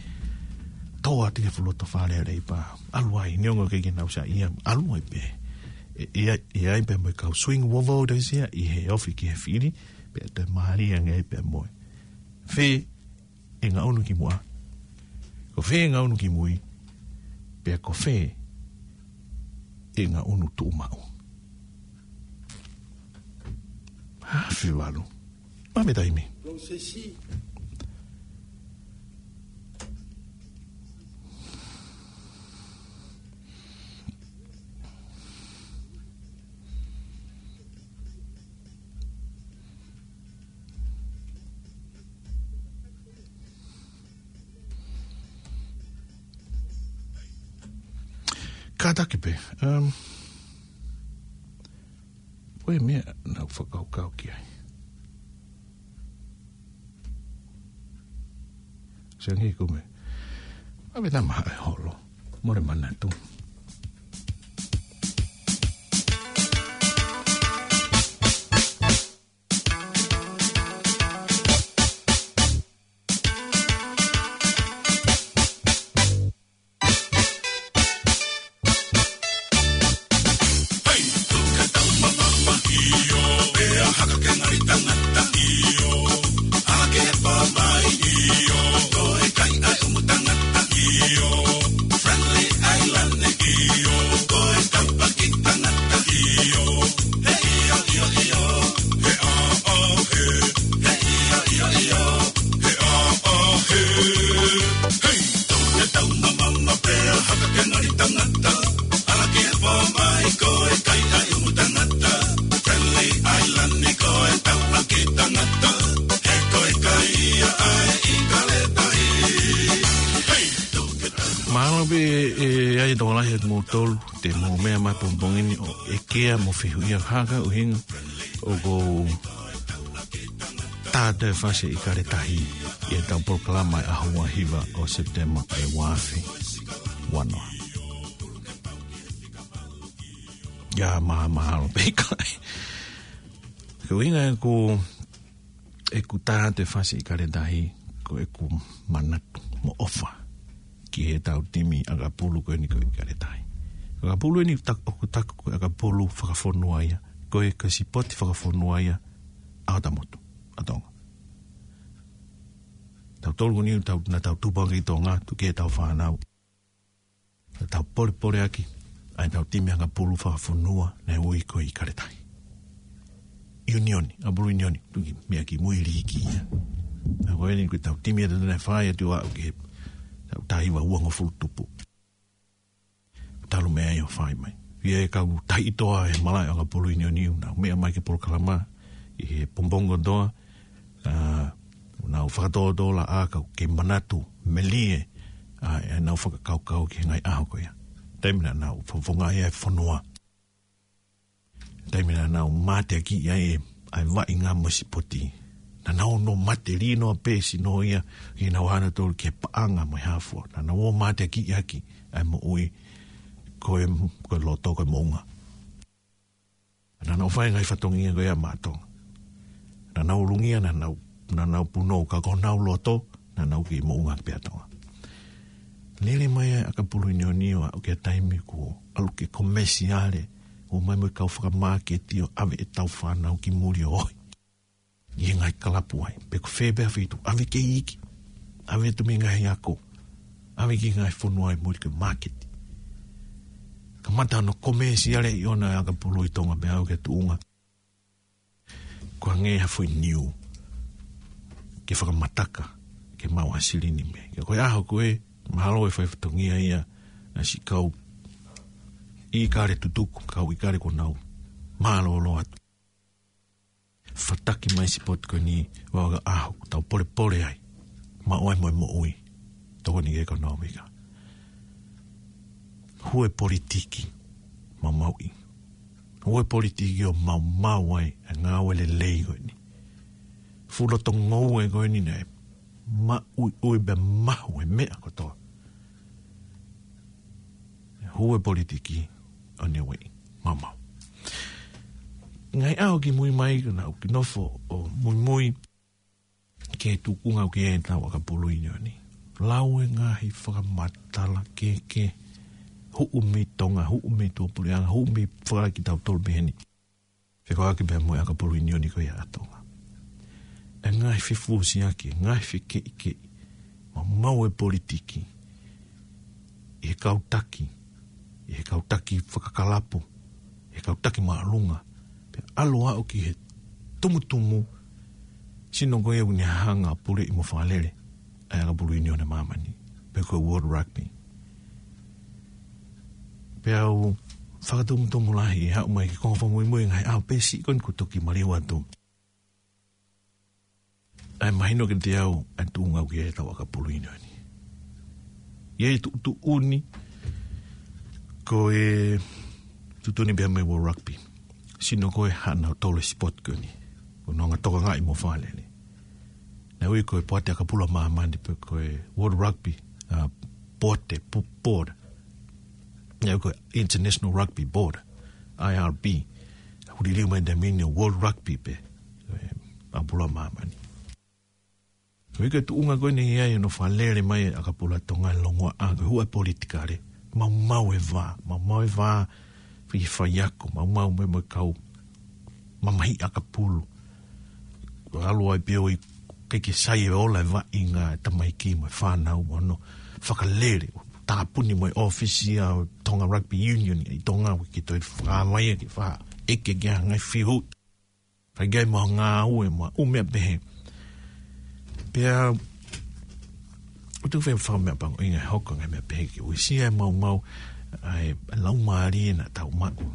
Tō atu ki he fuʻu loto Fale Alea pea ʻalu ai, neongo ʻikai ke nau saiʻia, ʻalu ai pē. ʻE, ʻe, ʻe ʻi ai pē mo e kau swing voters ia, ʻi he ofi ki he fili, pea toe mālie ange ai pē mo e. Fē ʻe ngaʻunu kimuʻa. Ko fē ʻe ngaʻunu kimui. Pea ko fē ʻe ngaʻunu tuʻumaʻu. Afe valu. Mame taimi. Kātaki pē. Um, ko e meʻa naʻa ku fakakaukau ki ai. Senghi kume. Ave tama e holo. Mole manatu. ʻE, ʻe, ʻai tokolahi atu mo tolu, te mou meʻa mai pongipongi ni ʻo ʻekea mo fehuʻia haka ʻuhinga ʻoku ou tā atu e fasi ʻIkale Tahi ʻi heʻetau polokalama ʻi he ʻaho ua hiva ʻo Sepitema ʻi he ua afe ua noa. ʻIa, ma, mahalo pē ʻikai. Ko e ʻuhinga ʻeku, ʻeku tā atu e fasi ʻIkale Tahi, ko ʻeku manatu mo ʻofa ki heʻetau timi ʻakapulu ko eni ko ʻIkale Tahi. ʻAkapulu eni tak-, ʻoku taku ko e ʻakapulu fakafonua ia, ko e, ko e sipoti fakafonua ia ʻa hota motu, ʻa Tonga. Tautolu ko eni tau, naʻa tau tupu hake ʻi Tonga, tuku ki heʻetau fānau. Naʻa tau polepole ʻaki ʻa ʻetau timi ʻakapulu fakafonua naʻe ui ko e ʻIkale Tahi. ʻIunioni, ʻakapulu ʻIunioni, tuku ki, meʻa ki mui liiki ia. Naʻa ko eni ko ʻetau timi ʻe taha naʻe fai atu ʻo aʻu ki heʻetau taha hiva uangofulu tupu. Talu mei ai ʻo fai mai. ʻI he kau taʻitoʻa he malaʻe ʻakapulu ʻIunioni, naʻa nau meʻa mai ki he polokalama ʻi he pongipongi kotoa, ʻa, naʻa nau fakatōtōlaʻā kau ke manatu melie, ʻa, ʻenau fakakaukau ki he ngaahi ʻaho ko ia. Taimi naʻa nau fakafofongaʻi ai e fonua. Taimi naʻa nau mateakiʻi ai e, ʻa e vaʻinga mo e sipoti. Naʻa nau ō ʻo mate lino a pē sino ia, ʻi heʻenau ō ʻanautolu ki he paʻanga mo e hā fua. Naʻa nau ō ʻo mateakiʻi ʻaki ʻa e moʻui ko e, ko e loto ko e moʻunga. Naʻa nau fai e ngaahi fatongia ko ia maʻa Tonga. Naʻa nau ulungia, naʻa nau, naʻa nau punou, ka ko honau loto, naʻa nau kei moʻunga pē ʻa Tonga. Lele mai ʻa e ʻakapulu ʻIunioni ʻo aʻu ki he taimi kuo ʻalu ke komesiale, ʻo mai mo e kau fakamāketi ʻo ʻave ʻetau fānau ki muli ʻo ohi. ʻI he ngaahi kalapu ai, pe ko fē pē ha feituʻu, ʻave ki he iiki, ʻave atu mei he ngaahi ako, ʻave ki he ngaahi fonua ʻi muli ki he māketi. Kamata hono komesiale ʻi ʻona e ʻakapulu ʻi Tonga pea aʻu ki he tuʻunga ko e hangē ha foʻi niu ke fakamataka ke maʻu ha silini mei ai. Ka ko e ʻaho ko ē, mahalo ʻe fai fatongia ia ʻa siʻi kau ʻIkale tutuku, kau ʻIkale kuo nau mālōlō atu. Fataki mai sipoti ko eni, ʻo aʻu ki he ʻaho ʻoku tau polepole ai, maʻu ai mo e moʻui, tokoni ki he ʻekonōmika. Hū e politiki maumauʻi. Hū e politiki ʻo maumau ai e ngāue lelei ko eni. Fuʻu loto ngoue ko eni naʻe maʻuiʻui pea mahu e meʻa kotoa. Hū e politiki ʻo ne ueʻi maumau. Ngaahi ʻaho kimui mai, naʻa ku nofo ʻo muimui ki he tuʻunga ʻoku ʻi ai ʻetau ʻakapulu ʻIunioni. Lau e ngaahi fakamatala kehekehe, huʻu mei Tonga, huʻu mei tuʻapuleʻanga, huʻu mei faka kitautolu pehē ni. Fekauʻaki pea mo e ʻakapulu ʻIunioni ko ia ʻa Tonga. E ngaahi fefusiaki, e ngaahi fekeʻikeʻi, maumau e politiki ʻi he kau taki, ʻi he kau taki fakakalapu, ʻi he kau taki māʻolunga, pea ʻalu ʻo aʻu ki he tumutumu, sino ko ia ʻoku ne hanga ʻo puleʻi mo fakalele ʻa e ʻakapulu ʻIunioni ʻa māmani, pe ko e World Rugby. Pea u fakatumutumu lahi ʻi he haʻu mai ki he konga fakamuimui, ngaahi ʻaho pē siʻi ko eni kuo toki maliu atu ʻa e mahino kiate au ʻa e tuʻunga ʻoku ʻi ai ʻetau ʻakapulu ʻIunioni. ʻI ai e tuʻutuʻuni ko e tuʻutuʻuni pea mei World Rugby. Sino ko e haʻana ʻo tolo e sipoti ko eni. Ko hono anga tokangaʻi mo fakalele. Naʻe ui ko e Poate ʻAkapulu ʻa Māmani pe ko e World Rugby, ʻa, Poate, pu-, Board. Naʻe ui ko e International Rugby Board, I R B. Huli liliu mai e taimi ni ʻo World Rugby pē, e, ʻAkapulu ʻa Māmani. Ko e tuʻunga ko eni ʻi ai hono fakalele mai e ʻakapulu ʻa Tonga, longoaʻa, ko e hū e politikale. Maumau e vā, maumau e vā, fai, faiako, maumau mo e, mo e kau mamahiʻi ʻakapulu. ʻAlu ai pē ʻo ʻikai ke sai e ola e vaʻinga e tamaiki mo e fānau mo hono fakalele, tāpuni mo e ʻōfisi ʻa e Tonga Rugby Union ʻi Tonga, ʻoku ʻikai ke toe fakavaivai ke fakaʻeke ke ʻai ha ngaahi fihu. Fai ki ai mo e ngāue mo e ʻū meʻa pehē. Pea, ʻoku ou fie fakameʻapangoʻi e ngaahi hoko e ngaahi meʻa pehē ke uesia e maumau ʻa e laumālie naʻa tau maʻu,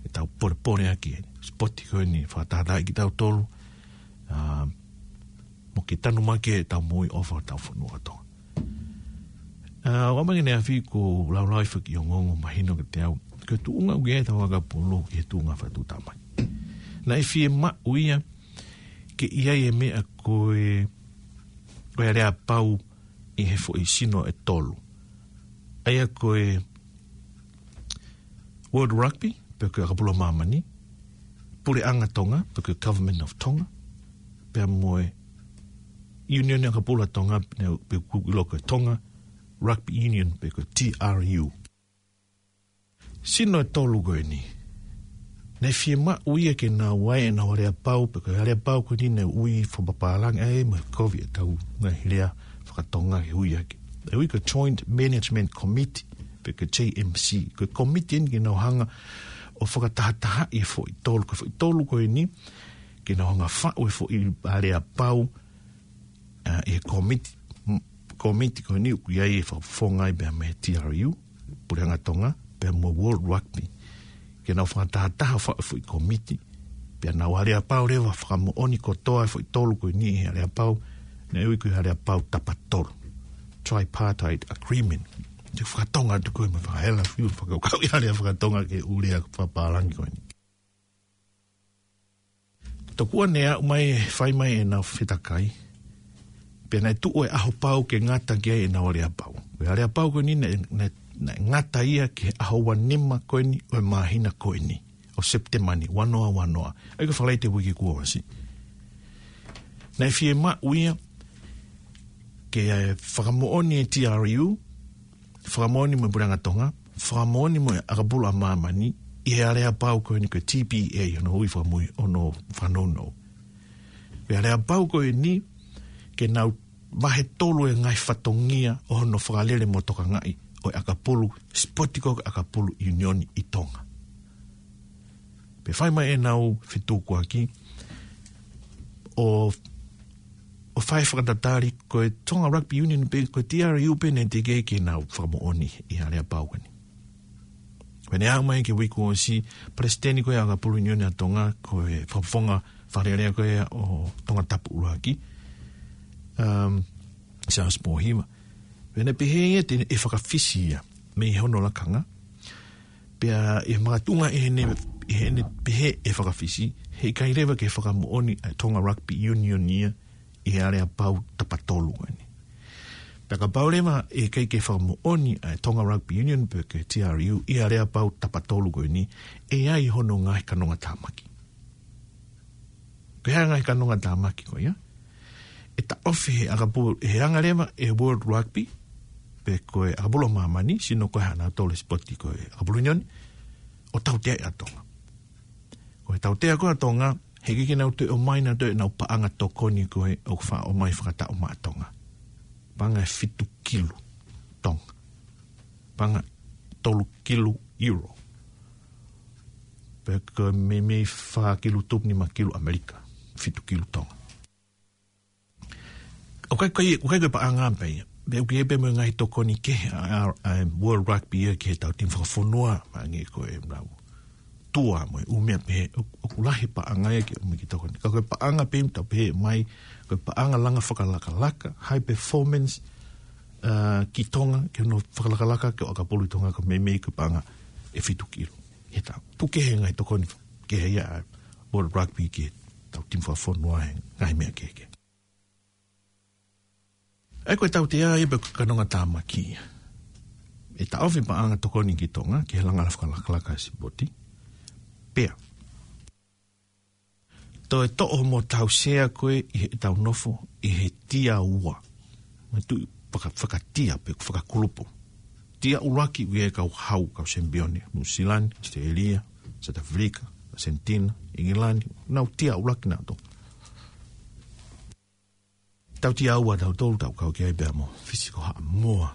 ʻetau polepole ʻaki e sipoti ko eni, fakatātaaʻi kitautolu, ʻa, mo ke tanumaki ʻetau moʻui ʻofa ʻo hotau fonua ʻo Tonga. ʻA, ʻoku ʻamanaki ʻe afi ko e laulau ʻa e fakaongoongo mahino kiate au. Ko e tuʻunga ʻoku ʻi ai ʻetau ʻakapulu ki he tuʻunga fakatuʻutāmaki. Naʻe fiemaʻu ia ke ʻi ai e meʻa ko e, ko e aleapau ʻi he foʻi sino ʻe tolu. ʻA ia ko e World Rugby, pe ko e ʻakapulu ʻa māmani, Puleʻanga Tonga, pe ko e Government of Tonga, pea mo e Union ʻAkapulu ʻa Tonga, pe, pe ʻoku ʻiloa ko e Tonga Rugby Union, pe ko e T R U. Sino ʻe tolu ko eni. Naʻe fiemaʻu ia ke nau ʻai ʻenau aleapau, pe ko e aleapau ko eni naʻe ui fakapapālangi ai mo e kovi ʻetau ngaahi lea fakatonga ke ui ʻaki. ʻE ui ko e Joint Management Committee, pe ko e J M C. Ko e komiti eni ke nau hanga ʻo fakatahatahaʻi e foʻi tolu, ko e foʻi tolu ko eni, ke nau hanga faʻu e foʻi aleapau, ʻa, ʻi he komiti, m-, komiti ko eni ʻoku ʻi ai e fakafofonga ai pea mei he T R U, Puleʻanga Tonga, pea mo World Rugby. Ke nau fakatahataha faʻu e foʻi komiti, pea nau aleapau leva fakamoʻoni kotoa e foʻi tolu ko eni ʻi he aleapau, naʻe ui ko e aleapau tapatolu. Tripartite Agreement. Te u fakatonga atu ko e mo e fakahela fiu, fakakaukau ʻi he lea fakatonga ke u lea fakapapālangi ko eni. Tokua naʻe aʻu mai, fai mai ʻenau fetakai. Pea naʻe tuʻu e ʻaho pau ke ngata ki ai ʻenau aleapau. Ko e aleapau ko eni naʻe, naʻe, naʻe ngata ia ki he ʻaho ua nima ko eni ʻo e māhina ko eni. ʻO Sepitema ni, ua noa ua noa. ʻA ia ko e Falaite uike kuo ʻosi. Naʻe fiemaʻu ia ke, ē, fakamoʻoni e T R U, fakamoʻoni mo e Puleʻanga Tonga, fakamoʻoni mo e ʻAkapulu ʻa Māmani, ʻi he aleapau ko eni ko e T P A, hono ui fakamui, hono fakanounou. Ko e aleapau ko eni, ke nau vahe tolu e ngaahi fatongia ʻo hono fakalele mo tokangaʻi ʻo e ʻakapulu, sipoti ko ē ʻakapulu ʻiunioni ʻi Tonga. Pea fai mai ʻenau fetukuaki, ʻo, ʻo fai fakatatali ko e Tonga Rugby Union pe ko e T R U pē naʻe teʻeki ke nau fakamoʻoni ʻi he aleapau ko eni. Pea naʻe aʻu mai ki he uike kuo ʻosi, palesiteni ko ē ʻo e ʻAkapulu ʻIunioni ʻa Tonga, ko e fakafofonga fakalelei ko ē ʻo Tongatapu ʻUluaki, um, Charles Pōhiva. Pea naʻe pehē ia te ne fakafisi ia mei hono lakanga. Pea ʻi he makatuʻunga ʻi heʻene, ʻi heʻene pehē ʻe fakafisi, heʻikai leva ke fakamoʻoni ʻa e Tonga Rugby Union ia ʻi he aleapau tapatolu ko eni. Pea kapau leva ʻe ʻikai ke fakamoʻoni ʻa e Tonga Rugby Union pe ko e T R U ʻi he aleapau tapatolu ko eni, ʻe ʻi ai hono ngaahi kanongatāmaki. Ko e hā e ngaahi kanongatāmaki ko ia? ʻE taʻofi he ʻakapulu, ʻe hanga leva e World Rugby, pe ko e ʻAkapulu ʻa Māmani, sino ko ē ʻa kinautolu e sipoti ko e ʻAkapulu ʻIunioni, ʻo tauteaʻi ʻa Tonga. Ko e tautea ko ē ʻa Tonga, heʻikai ke nau toe ʻomai nautolu ʻenau paʻanga tokoni ko ē ʻoku faʻa ʻomai fakataʻu maʻa Tonga. Paʻanga ʻe fitu kilu Tonga. Paʻanga tolu kilu euro. Pe ko e meimei fā kilu tupu nima kilu ʻAmelika. Fitu kilu Tonga. ʻOku ʻikai, ʻoku ʻikai ko e paʻanga pē ia. Pea ʻoku ʻi ai pē mo e ngaahi tokoni kehe ʻa, ʻa, ʻa e World Rugby ia ki he tau timi fakafonua, maʻange ko e nau tua mo e ʻū meʻa pehē, ʻo, ʻoku lahi paʻanga ia ke ʻomai ki he tokoni. Ka ko e paʻanga pē ʻoku tau pehē mai, ko e paʻanga langa fakalakalaka, high performance, uh, ki Tonga, ke nau fakalakalaka ki he ʻakapulu ʻi Tonga ko e meimei ko e paʻanga ʻe fitu kilu. He tau, puke he ngaahi tokoni kehe ia ʻa e World Rugby ki he tau timi fakafonua he ngaahi meʻa kehekehe. ʻA ia ko e tautea ia pe ko e kanongatāmaki ia. ʻE taʻofi paʻanga tokoni ki Tonga, ki he langa fakalakalaka e sipoti. Pea toe toʻo mo tau sea ko ē ʻi heʻetau nofo, ʻi he tia ua. Matu faka-, fakatia pe fakakulupu. Tia ʻuluaki ʻoku ʻi ai e kau hau, kau sempione, Nuʻusila, ʻAositelēlia, South Africa, Argentina, ʻIngilani, nau tia ʻuluaki nautolu. Tau tia ua tautolu, tau kau ki ai pea mo Fisi ko Haʻamoa,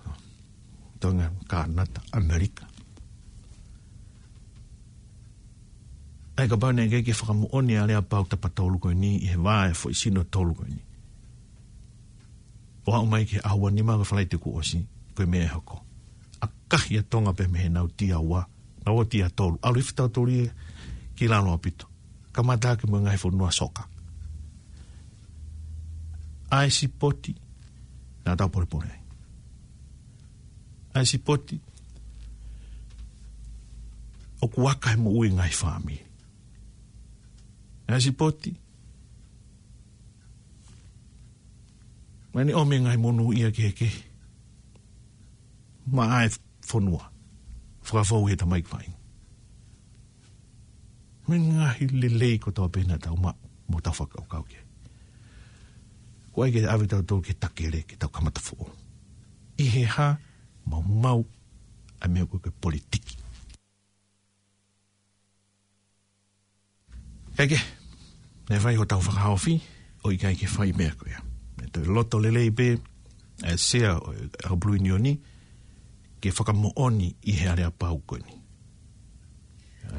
Tonga, Kānata, ʻAmelika. ʻA ia kapau naʻe ʻikai ke fakamoʻoni ʻa e aleapau tapatolu ko eni ʻi he vā e foʻi sino tolu ko eni. ʻO aʻu mai ki he ʻaho ua nima ko e Falaite kuo ʻosi, ko e meʻa ʻe hoko. ʻAkahi ʻa Tonga pē mei heʻenau tia ua, nau ō tia tolu. ʻAlu hifo tautolu ia ki lalo ʻaupito. Kamata hake mo e ngaahi fonua soka. ʻA e sipoti, naʻa tau polepole ai. ʻa e sipoti ʻoku aka he moʻui e ngaahi fāmili. ʻA e sipoti ʻoku ne ʻomi e ngaahi monūʻia kehekehe maʻa e fonua, fakafou he tamaiki faʻahinga. Mo e ngaahi lelei kotoa pē naʻa tau maʻu mo tau fakakaukau ki ai. Ko ia ke ʻave kitautolu ki he takele, ke tau kamata foʻou. ʻI he hā? Maumau ʻa e meʻa ko e politiki. Kae kehe, naʻe fai hotau fakahaofi, ʻoku ʻikai ke fai meʻa ko ia. Meʻa toe loto lelei pē ʻa e Sea ʻo e ʻAkapulu ʻIunioni ke fakamoʻoni ʻi he aleapau ko eni.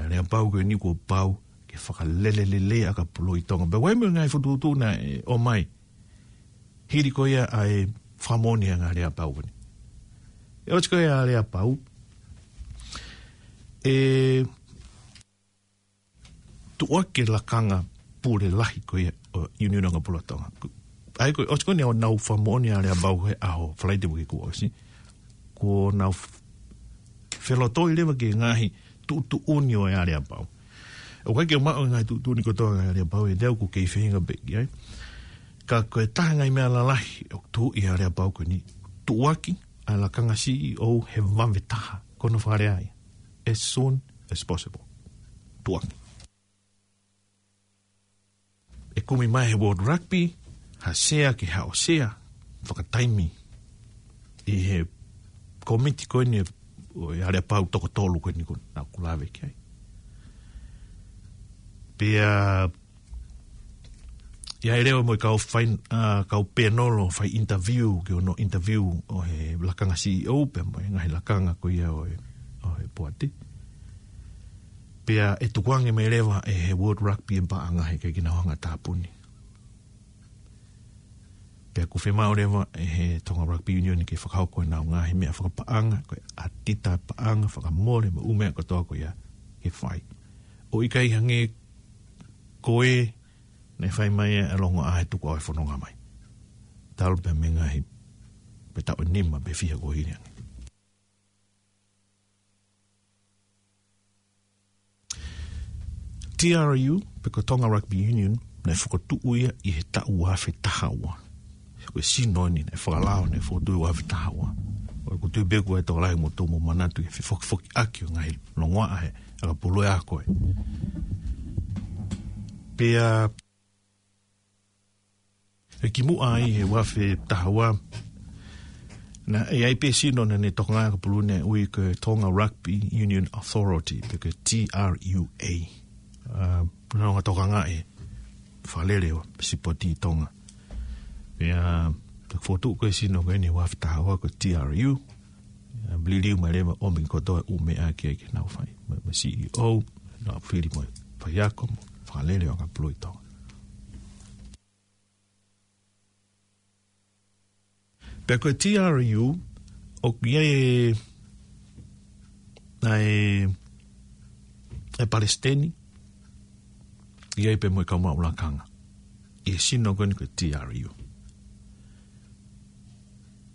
Aleapau ko eni kuo pau ke fakalele lelei ʻa e ʻakapulu ʻi Tonga. Pea ʻoku ʻi ai mo e ngaahi fokotuʻutuʻu naʻe ʻomai hili ko ia ʻa e fakamoʻoni ʻa e ngaahi aleapau ko eni. ʻE ʻosi ko ia ʻa e aleapau, ʻe tuʻuaki e lakanga pule lahi ko ia ʻo e ʻIunioni ʻAkapulu ʻa Tonga. ʻA ia ko e ʻosi ko eni ʻenau fakamoʻoni ʻa e aleapau he ʻaho Falaite uike kuo ʻosi. Kuo nau f-, felotoi leva ki he ngaahi tuʻutuʻuni ʻo e aleapau. ʻOku ʻikai ke maʻu e ngaahi tuʻutuʻuni kotoa ʻa e aleapau, ʻe te au ʻoku kei feinga pē ki ai. Ka ko e taha e ngaahi meʻa lalahi ʻoku tuʻu ʻi he aleapau ko eni, tuʻuaki ʻa e lakanga C E O he vave taha, ko hono fakalea ia, as soon as possible. Tuʻuaki. ʻE kumi mai he World Rugby ha sea ke haʻu ʻo sea fakataimi ʻi he kōmiti ko eni ʻo e aleapau toko tolu ko eni ko ē naʻa ku lave ki ai. Pea ʻi ai leva mo e kau fai, ʻa, kau panel ʻo fai interview, ki hono interview ʻo e lakanga C E O pea mo e ngaahi lakanga ko ia ʻo e, ʻo e poate. Pea ʻe tukuange mai leva ʻe he World Rugby e paʻanga he ʻikai ke nau hanga ʻo tāpuni. Pea ʻoku fiemaʻu leva ʻe he Tonga Rugby Union ke fakahoko ʻenau ngaahi meʻa fakapaʻanga, ko e ʻatita paʻanga, fakamole mo e ʻū meʻa kotoa ko ia ke fai. ʻOku ʻikai hangē ko ē naʻe fai mai ʻa e longoaʻa he tuku ʻa e fononga mai. Talu pē mei he ngaahi, pē taʻu ʻe nima pe fiha kuo hili ange. T R U, pe ko Tonga Rugby Union, naʻe fokotuʻu ia ʻi he taʻu ua afe taha ua. Ko e sino eni naʻe fakalao, naʻe fokotuʻu ua afe taha ua. ʻOku ou tui pē ʻoku ʻi ai e tokolahi ʻoku mou manatu ki he fefokifokiʻaki ʻo e ngaahi longoaʻa he ʻakapulu ʻa ko ē. Pea ʻi he kimuʻa ʻi he ua afe taha ua, naʻe ʻi ai pē sino naʻa ne tokanga ki he ʻakapulu naʻe ui ko e Tonga Rugby Union Authority, pe ko e T R U A. ʻA, naʻa nau tokanga ʻi he fakalele ʻo e sipoti ʻi Tonga. Pea, ʻa, naʻe fokotuʻu ko ē sino ko eni ua afe taha ua ko e T R U. ʻA, liliu mai leva ʻo ʻomi kotoa e ʻū meʻa ki ai ke nau fai. Mo e, mo e C E O, nau fili mo e faiako mo e fakalele ʻo e ʻakapulu ʻi Tonga. Pea ko e T R U, ʻoku ʻi ai e, ʻa e, e palesiteni, ʻi ai pē mo e kau maʻu lakanga ʻi he sino ko eni ko e T R U.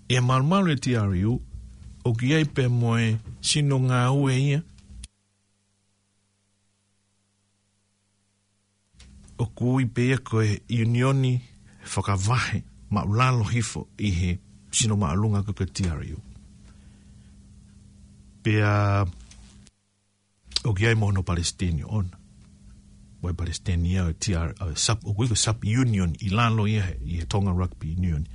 ʻI he malumalu e T R U, ʻoku ʻi ai pē mo e sino ngāue ia ʻoku ui pē ia ko e ʻiunioni fakavahe maʻulalo hifo ʻi he sino māʻolunga ko e T R U. Pea ʻoku ʻi ai mo hono palesiteni ʻoʻona. Mo e palesiteni ia ʻo e T R, ʻo e sub, ʻoku ui ko e sub union ʻi lalo ia he, ʻi he Tonga Rugby Union.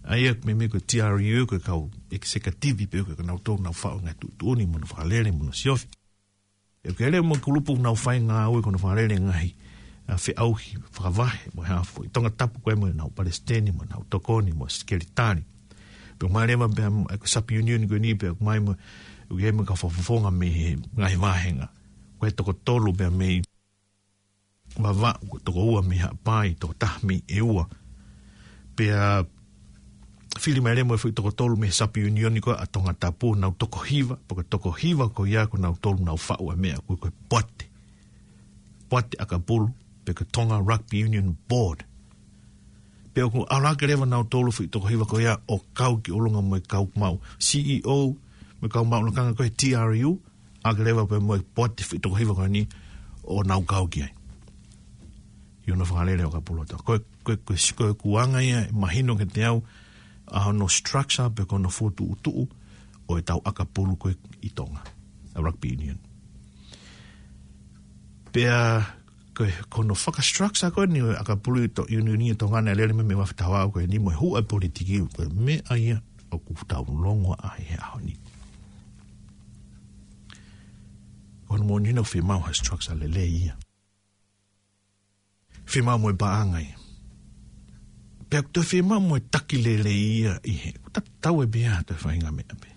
ʻA ia meimei ko e T R U ko e kau executive pē ko ē naʻa nau tō nau faʻu e ngaahi tuʻutuʻuni mo hono fakalele mo hono siofi. ʻOku ʻi ai leva mo e kulupu nau fai ngāue ko hono fakalele ngaahi, ʻa, feʻauhi fakavahe mo e hā fua. ʻI Tongatapu ko ē mo ʻenau palesiteni mo ʻenau tokoni mo e sekelitali. Pea ʻomai leva pea mo e sub union ko eni pea ʻomai mo, ʻoku ʻi ai mo e kau fakafofonga mei he ngaahi vāhenga. Ko e toko tolu pea mei Vavaʻu, ko e toko ua mei Haʻapai, toko taha mei ʻEua. Pea fili mai leva mo e foʻi toko tolu mei he sub union ko ē ʻa Tongatapu, nau toko hiva, pea ko e toko hiva ko ia ko nautolu nau faʻu e meʻa ko ē ko e poate. Poate ʻakapulu, pe ko e Tonga Rugby Union Board. Pea ʻoku ʻalu hake leva nautolu foʻi toko hiva ko ia ʻo kau ki ʻolunga mo e kau maʻu C E O, Ko e kau maʻu lakanga ko e T R U, ʻa ke leva pē mo e poate fitoko hiva ko eni ʻo nau kau ki ai. ʻI hono fakalele ʻo ʻakapulu ʻa Tonga. Ko e, ko e, ko e, ko e kuanga ia, ʻe mahino kiate au, ʻa hono structure pe ko hono fokotuʻutuʻu ʻo e tau ʻakapulu ko ē ʻi Tonga. ʻA e rugby union. Pea ko e, ko hono fakastructure ko eni ʻo e ʻakapulu ʻi to-, union ʻi Tonga naʻe lele mai mei he uafu taha ua ko eni mo e huʻa politiki ko e meʻa ia ʻoku tau longoaʻa ai he ʻaho ni. Ko hono moʻoni naʻe fiemaʻu ha structure lelei ia. Fiemaʻu mo e paʻanga ia. Pea ko e toe fiemaʻu mo e taki lelei ia ʻi he. Tatau e pea toe faʻahinga meʻa pē.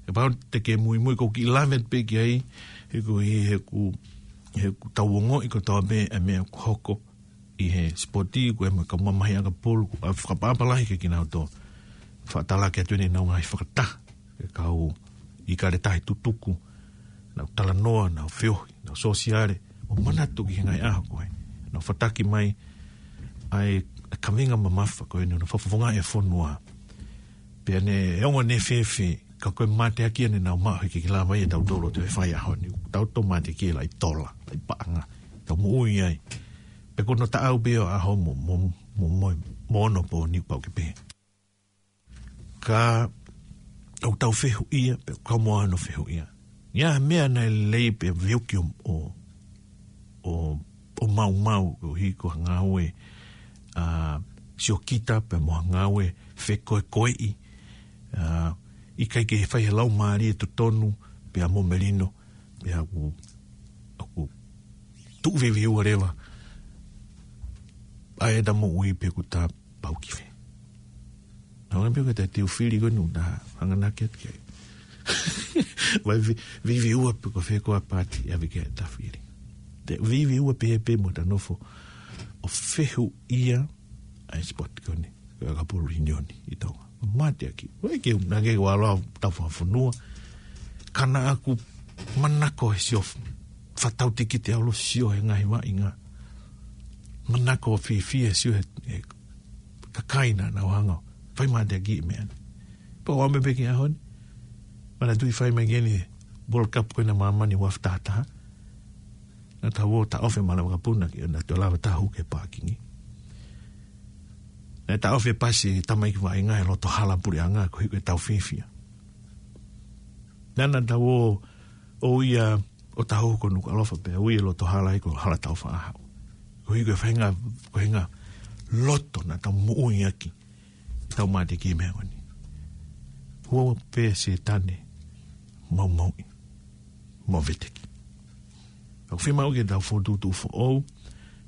Kapau te ke muimui ʻoku ou kiʻi lave pē ki ai, he ko e, he ʻoku, he ʻoku tau ongoʻi kotoa pē e meʻa ʻoku hoko ʻi he sipoti, ko e mo e kau mamahi ʻakapulu, ʻoku fakaʻapaʻapa lahi kiate kinautolu. Fakatalaki atu ʻenau ngaahi fakataha, e kau ʻIkale Tahi Tutuku, nau talanoa, nau feohi, nau sōsiale, ʻo manatu ki he ngaahi ʻaho ko ē. Nau fataki mai, ʻa e, e kaveinga mamafa ko eni, ʻo fakafofongaʻi e fonua. Pea ne, e ongo ne fefe, ka ko e mateaki ʻeni naʻa mau maʻu he ʻikai ke lava ia ʻe tautolu ʻo toe fai ʻaho ni. Tau toe mateaki e laʻi tola, laʻi paʻanga. Tau moʻui ai. Pea ko hono taʻau pē ʻo e ʻaho mo, mo, mo, mo, mo onopōni pau ke pehē. Ka ʻoku tau fehuʻia, pea ʻoku kau mo hono fehuʻia. ʻI ai ha meʻa naʻe lelei pea veuki ʻo, ʻo, ʻo, ʻo maumau, ʻo hiko ha ngāue, ʻa, siokita pea mo ha ngāue fekoekoeʻi, ʻa, ʻikai ke fai he laumālie totonu, pea mo melino, pea ʻoku, ʻoku tuʻu vivili ua leva, ʻa e ta moʻui pe ʻoku ta pau ki fē. Nau ngā pio ka ta tiu fili ko nu ta hanganaki atu ke. Vai vi, vivili ua pe ko fē ko ā pāti ʻe ʻave ke ta fili. Te vivili ua pē pē mo ta nofo ʻo fehuʻia ʻa e sipoti ko eni, ko e ʻakapulu union ʻi Tonga. Mateaki. Vai ke u nage ua loa tau fakafonua. Ka naʻa ku manako he sio f-, fatautiki te ʻalu sio he ngaahi vaʻinga. Manako fiefia sio he, he kakai naʻa nau hanga ʻo fai mateaki e meʻa ni. Pea ʻoku ʻalu mai pē ki he ʻaho ni. Manatuʻi fai mai ki heni World Cup ko ena māmani uafu taha taha. Naʻa tau ō taʻofi e mala vakapuna ki, naʻa tau lava taha hū ki he pākingi. Naʻe taʻofi e pasi e tamaiki vaʻinga he loto hala puleʻanga koeʻuhi ko e tau fiefia. Naʻa, naʻa tau ō, ō ia ʻo tau hū ko Nukuʻalofa pea ui e loto hala ia ko Hala Taufaʻāhau. Koeʻuhi ko e faʻahinga, ko e faʻahinga loto naʻa tau moʻui ʻaki. Tau mateaki e meʻa ko eni. Hua pē Sētane, maumauʻi, mo veteki. ʻOku fiemaʻu ke tau fokotuʻutuʻu foʻou,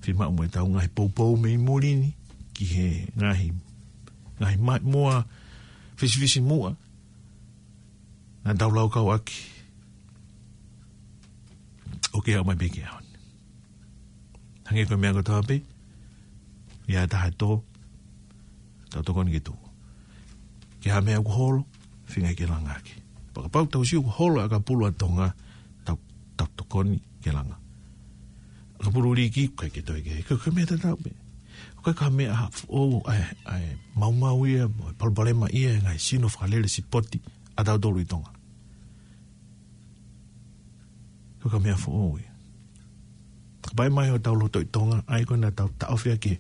fiemaʻu mo e tau ngaahi poupou mei muli ni, ki he ngaahi, ngaahi ma-, moa fisifisimuʻa, naʻa tau laukau ʻaki, ʻo ke aʻu mai pē ki he ʻaho ni. Hangē ko e meʻa kotoa pē, ʻi ai ha taha ʻe tō, tau tokoni ke tuʻu. Ke ʻi ai ha meʻa ʻoku holo, feinga ke langa ʻaki. Pea kapau tau sio ʻoku holo e ʻakapulu ʻa Tonga, tau, tau tokoni ke langa. ʻAkapulu liiki, ʻikai ke toe ke, ko e, ko e meʻa tatau pē. Ko e ka meʻa ha foʻou, ʻa e, ʻa e maumau ia, mo e palopalema ia, ngaahi sino fakalele sipoti, ʻa tautolu ʻi Tonga. Ko e ka meʻa foʻou ia. Ka pai mai ʻo tau loto ʻi Tonga, ʻa ia ko ena tau taʻofi ʻaki e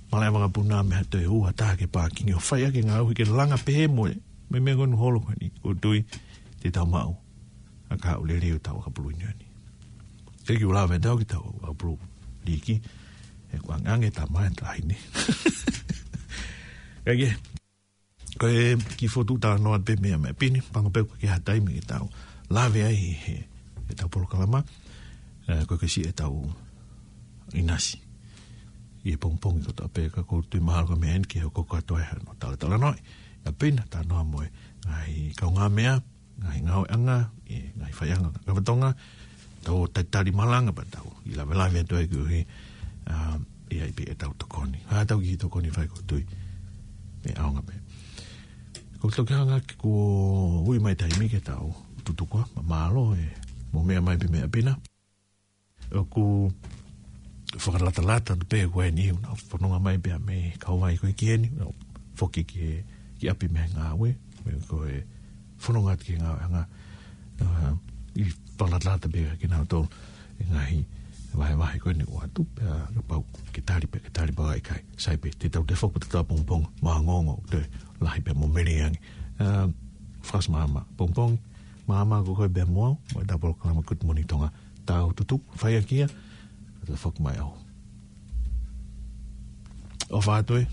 malaʻe vakapuna mei ha toe ua taha ki he pākingi ʻo fai ʻaki e ngāue ke langa pehē mo e, mo e meʻa ko eni holo ko eni, ʻoku ou tui te tau maʻu ʻa e kahaʻu lelei ʻo e tau ʻakapulu union ni. Ke kiu lava e tau ki he tau ʻakapulu liiki, he ʻoku ange, ange ta mai ta hine. Kae kehe, ko e kiʻi fokotuʻu talanoa pē meʻa meʻa pini, pango pē ko e ke ha taimi ke tau lave ai he, he tau polokalama, ē, ko e ke siʻi e tau ʻinasi. ʻI he pongipongi kotoa pē ka ʻoku ou tui mahalo ko e meʻa eni ke hoko kātoa ai hano talatalanoaʻi. ʻA pina, talanoa mo e ngaahi kaungāmeʻa, ngaahi ngāueʻanga, ʻi he ngaahi faiʻanga ʻo e kakato Tonga, tau ō talitali malanga pea tau ʻi lavelave atu ai koeʻuhi, ā, ʻi ai pē ʻetau tokoni. Hā tau kiʻi tokoni fai ʻoku ou tui ʻe ʻaonga pē. Ko e toki hanga ke kuo ui mai taimi ke tau tutuku ā, mālō e mou meʻa mai pē meʻa pina. ʻOku fakalatalata atu pē ko eni, ʻoku nau fononga mai pē mei Kauvai ko ē ki heni, ʻo foki ki he ki ʻapi mei he ngāue, mei ko e fononga atu ki he ngāue ʻanga, ʻa, ʻi he fakalatalata pē kinautolu ʻi he ngaahi vahevahe ko eni ʻoku ʻoatu, pea kapau ke tali pē, ke tali pē ʻikai, sai pē, te tau toe foki pē ʻo tatau ʻapongipongi, mo e ongoongo, toe lahi pē mo mele ange. ʻA, Fakasimama, pongipongi, māmā ko koe pē mo au, mo e polokalama Good Morning Tonga, tau tutuku, fai ʻaki ia, toe foki mai au. ʻOfa atu ē.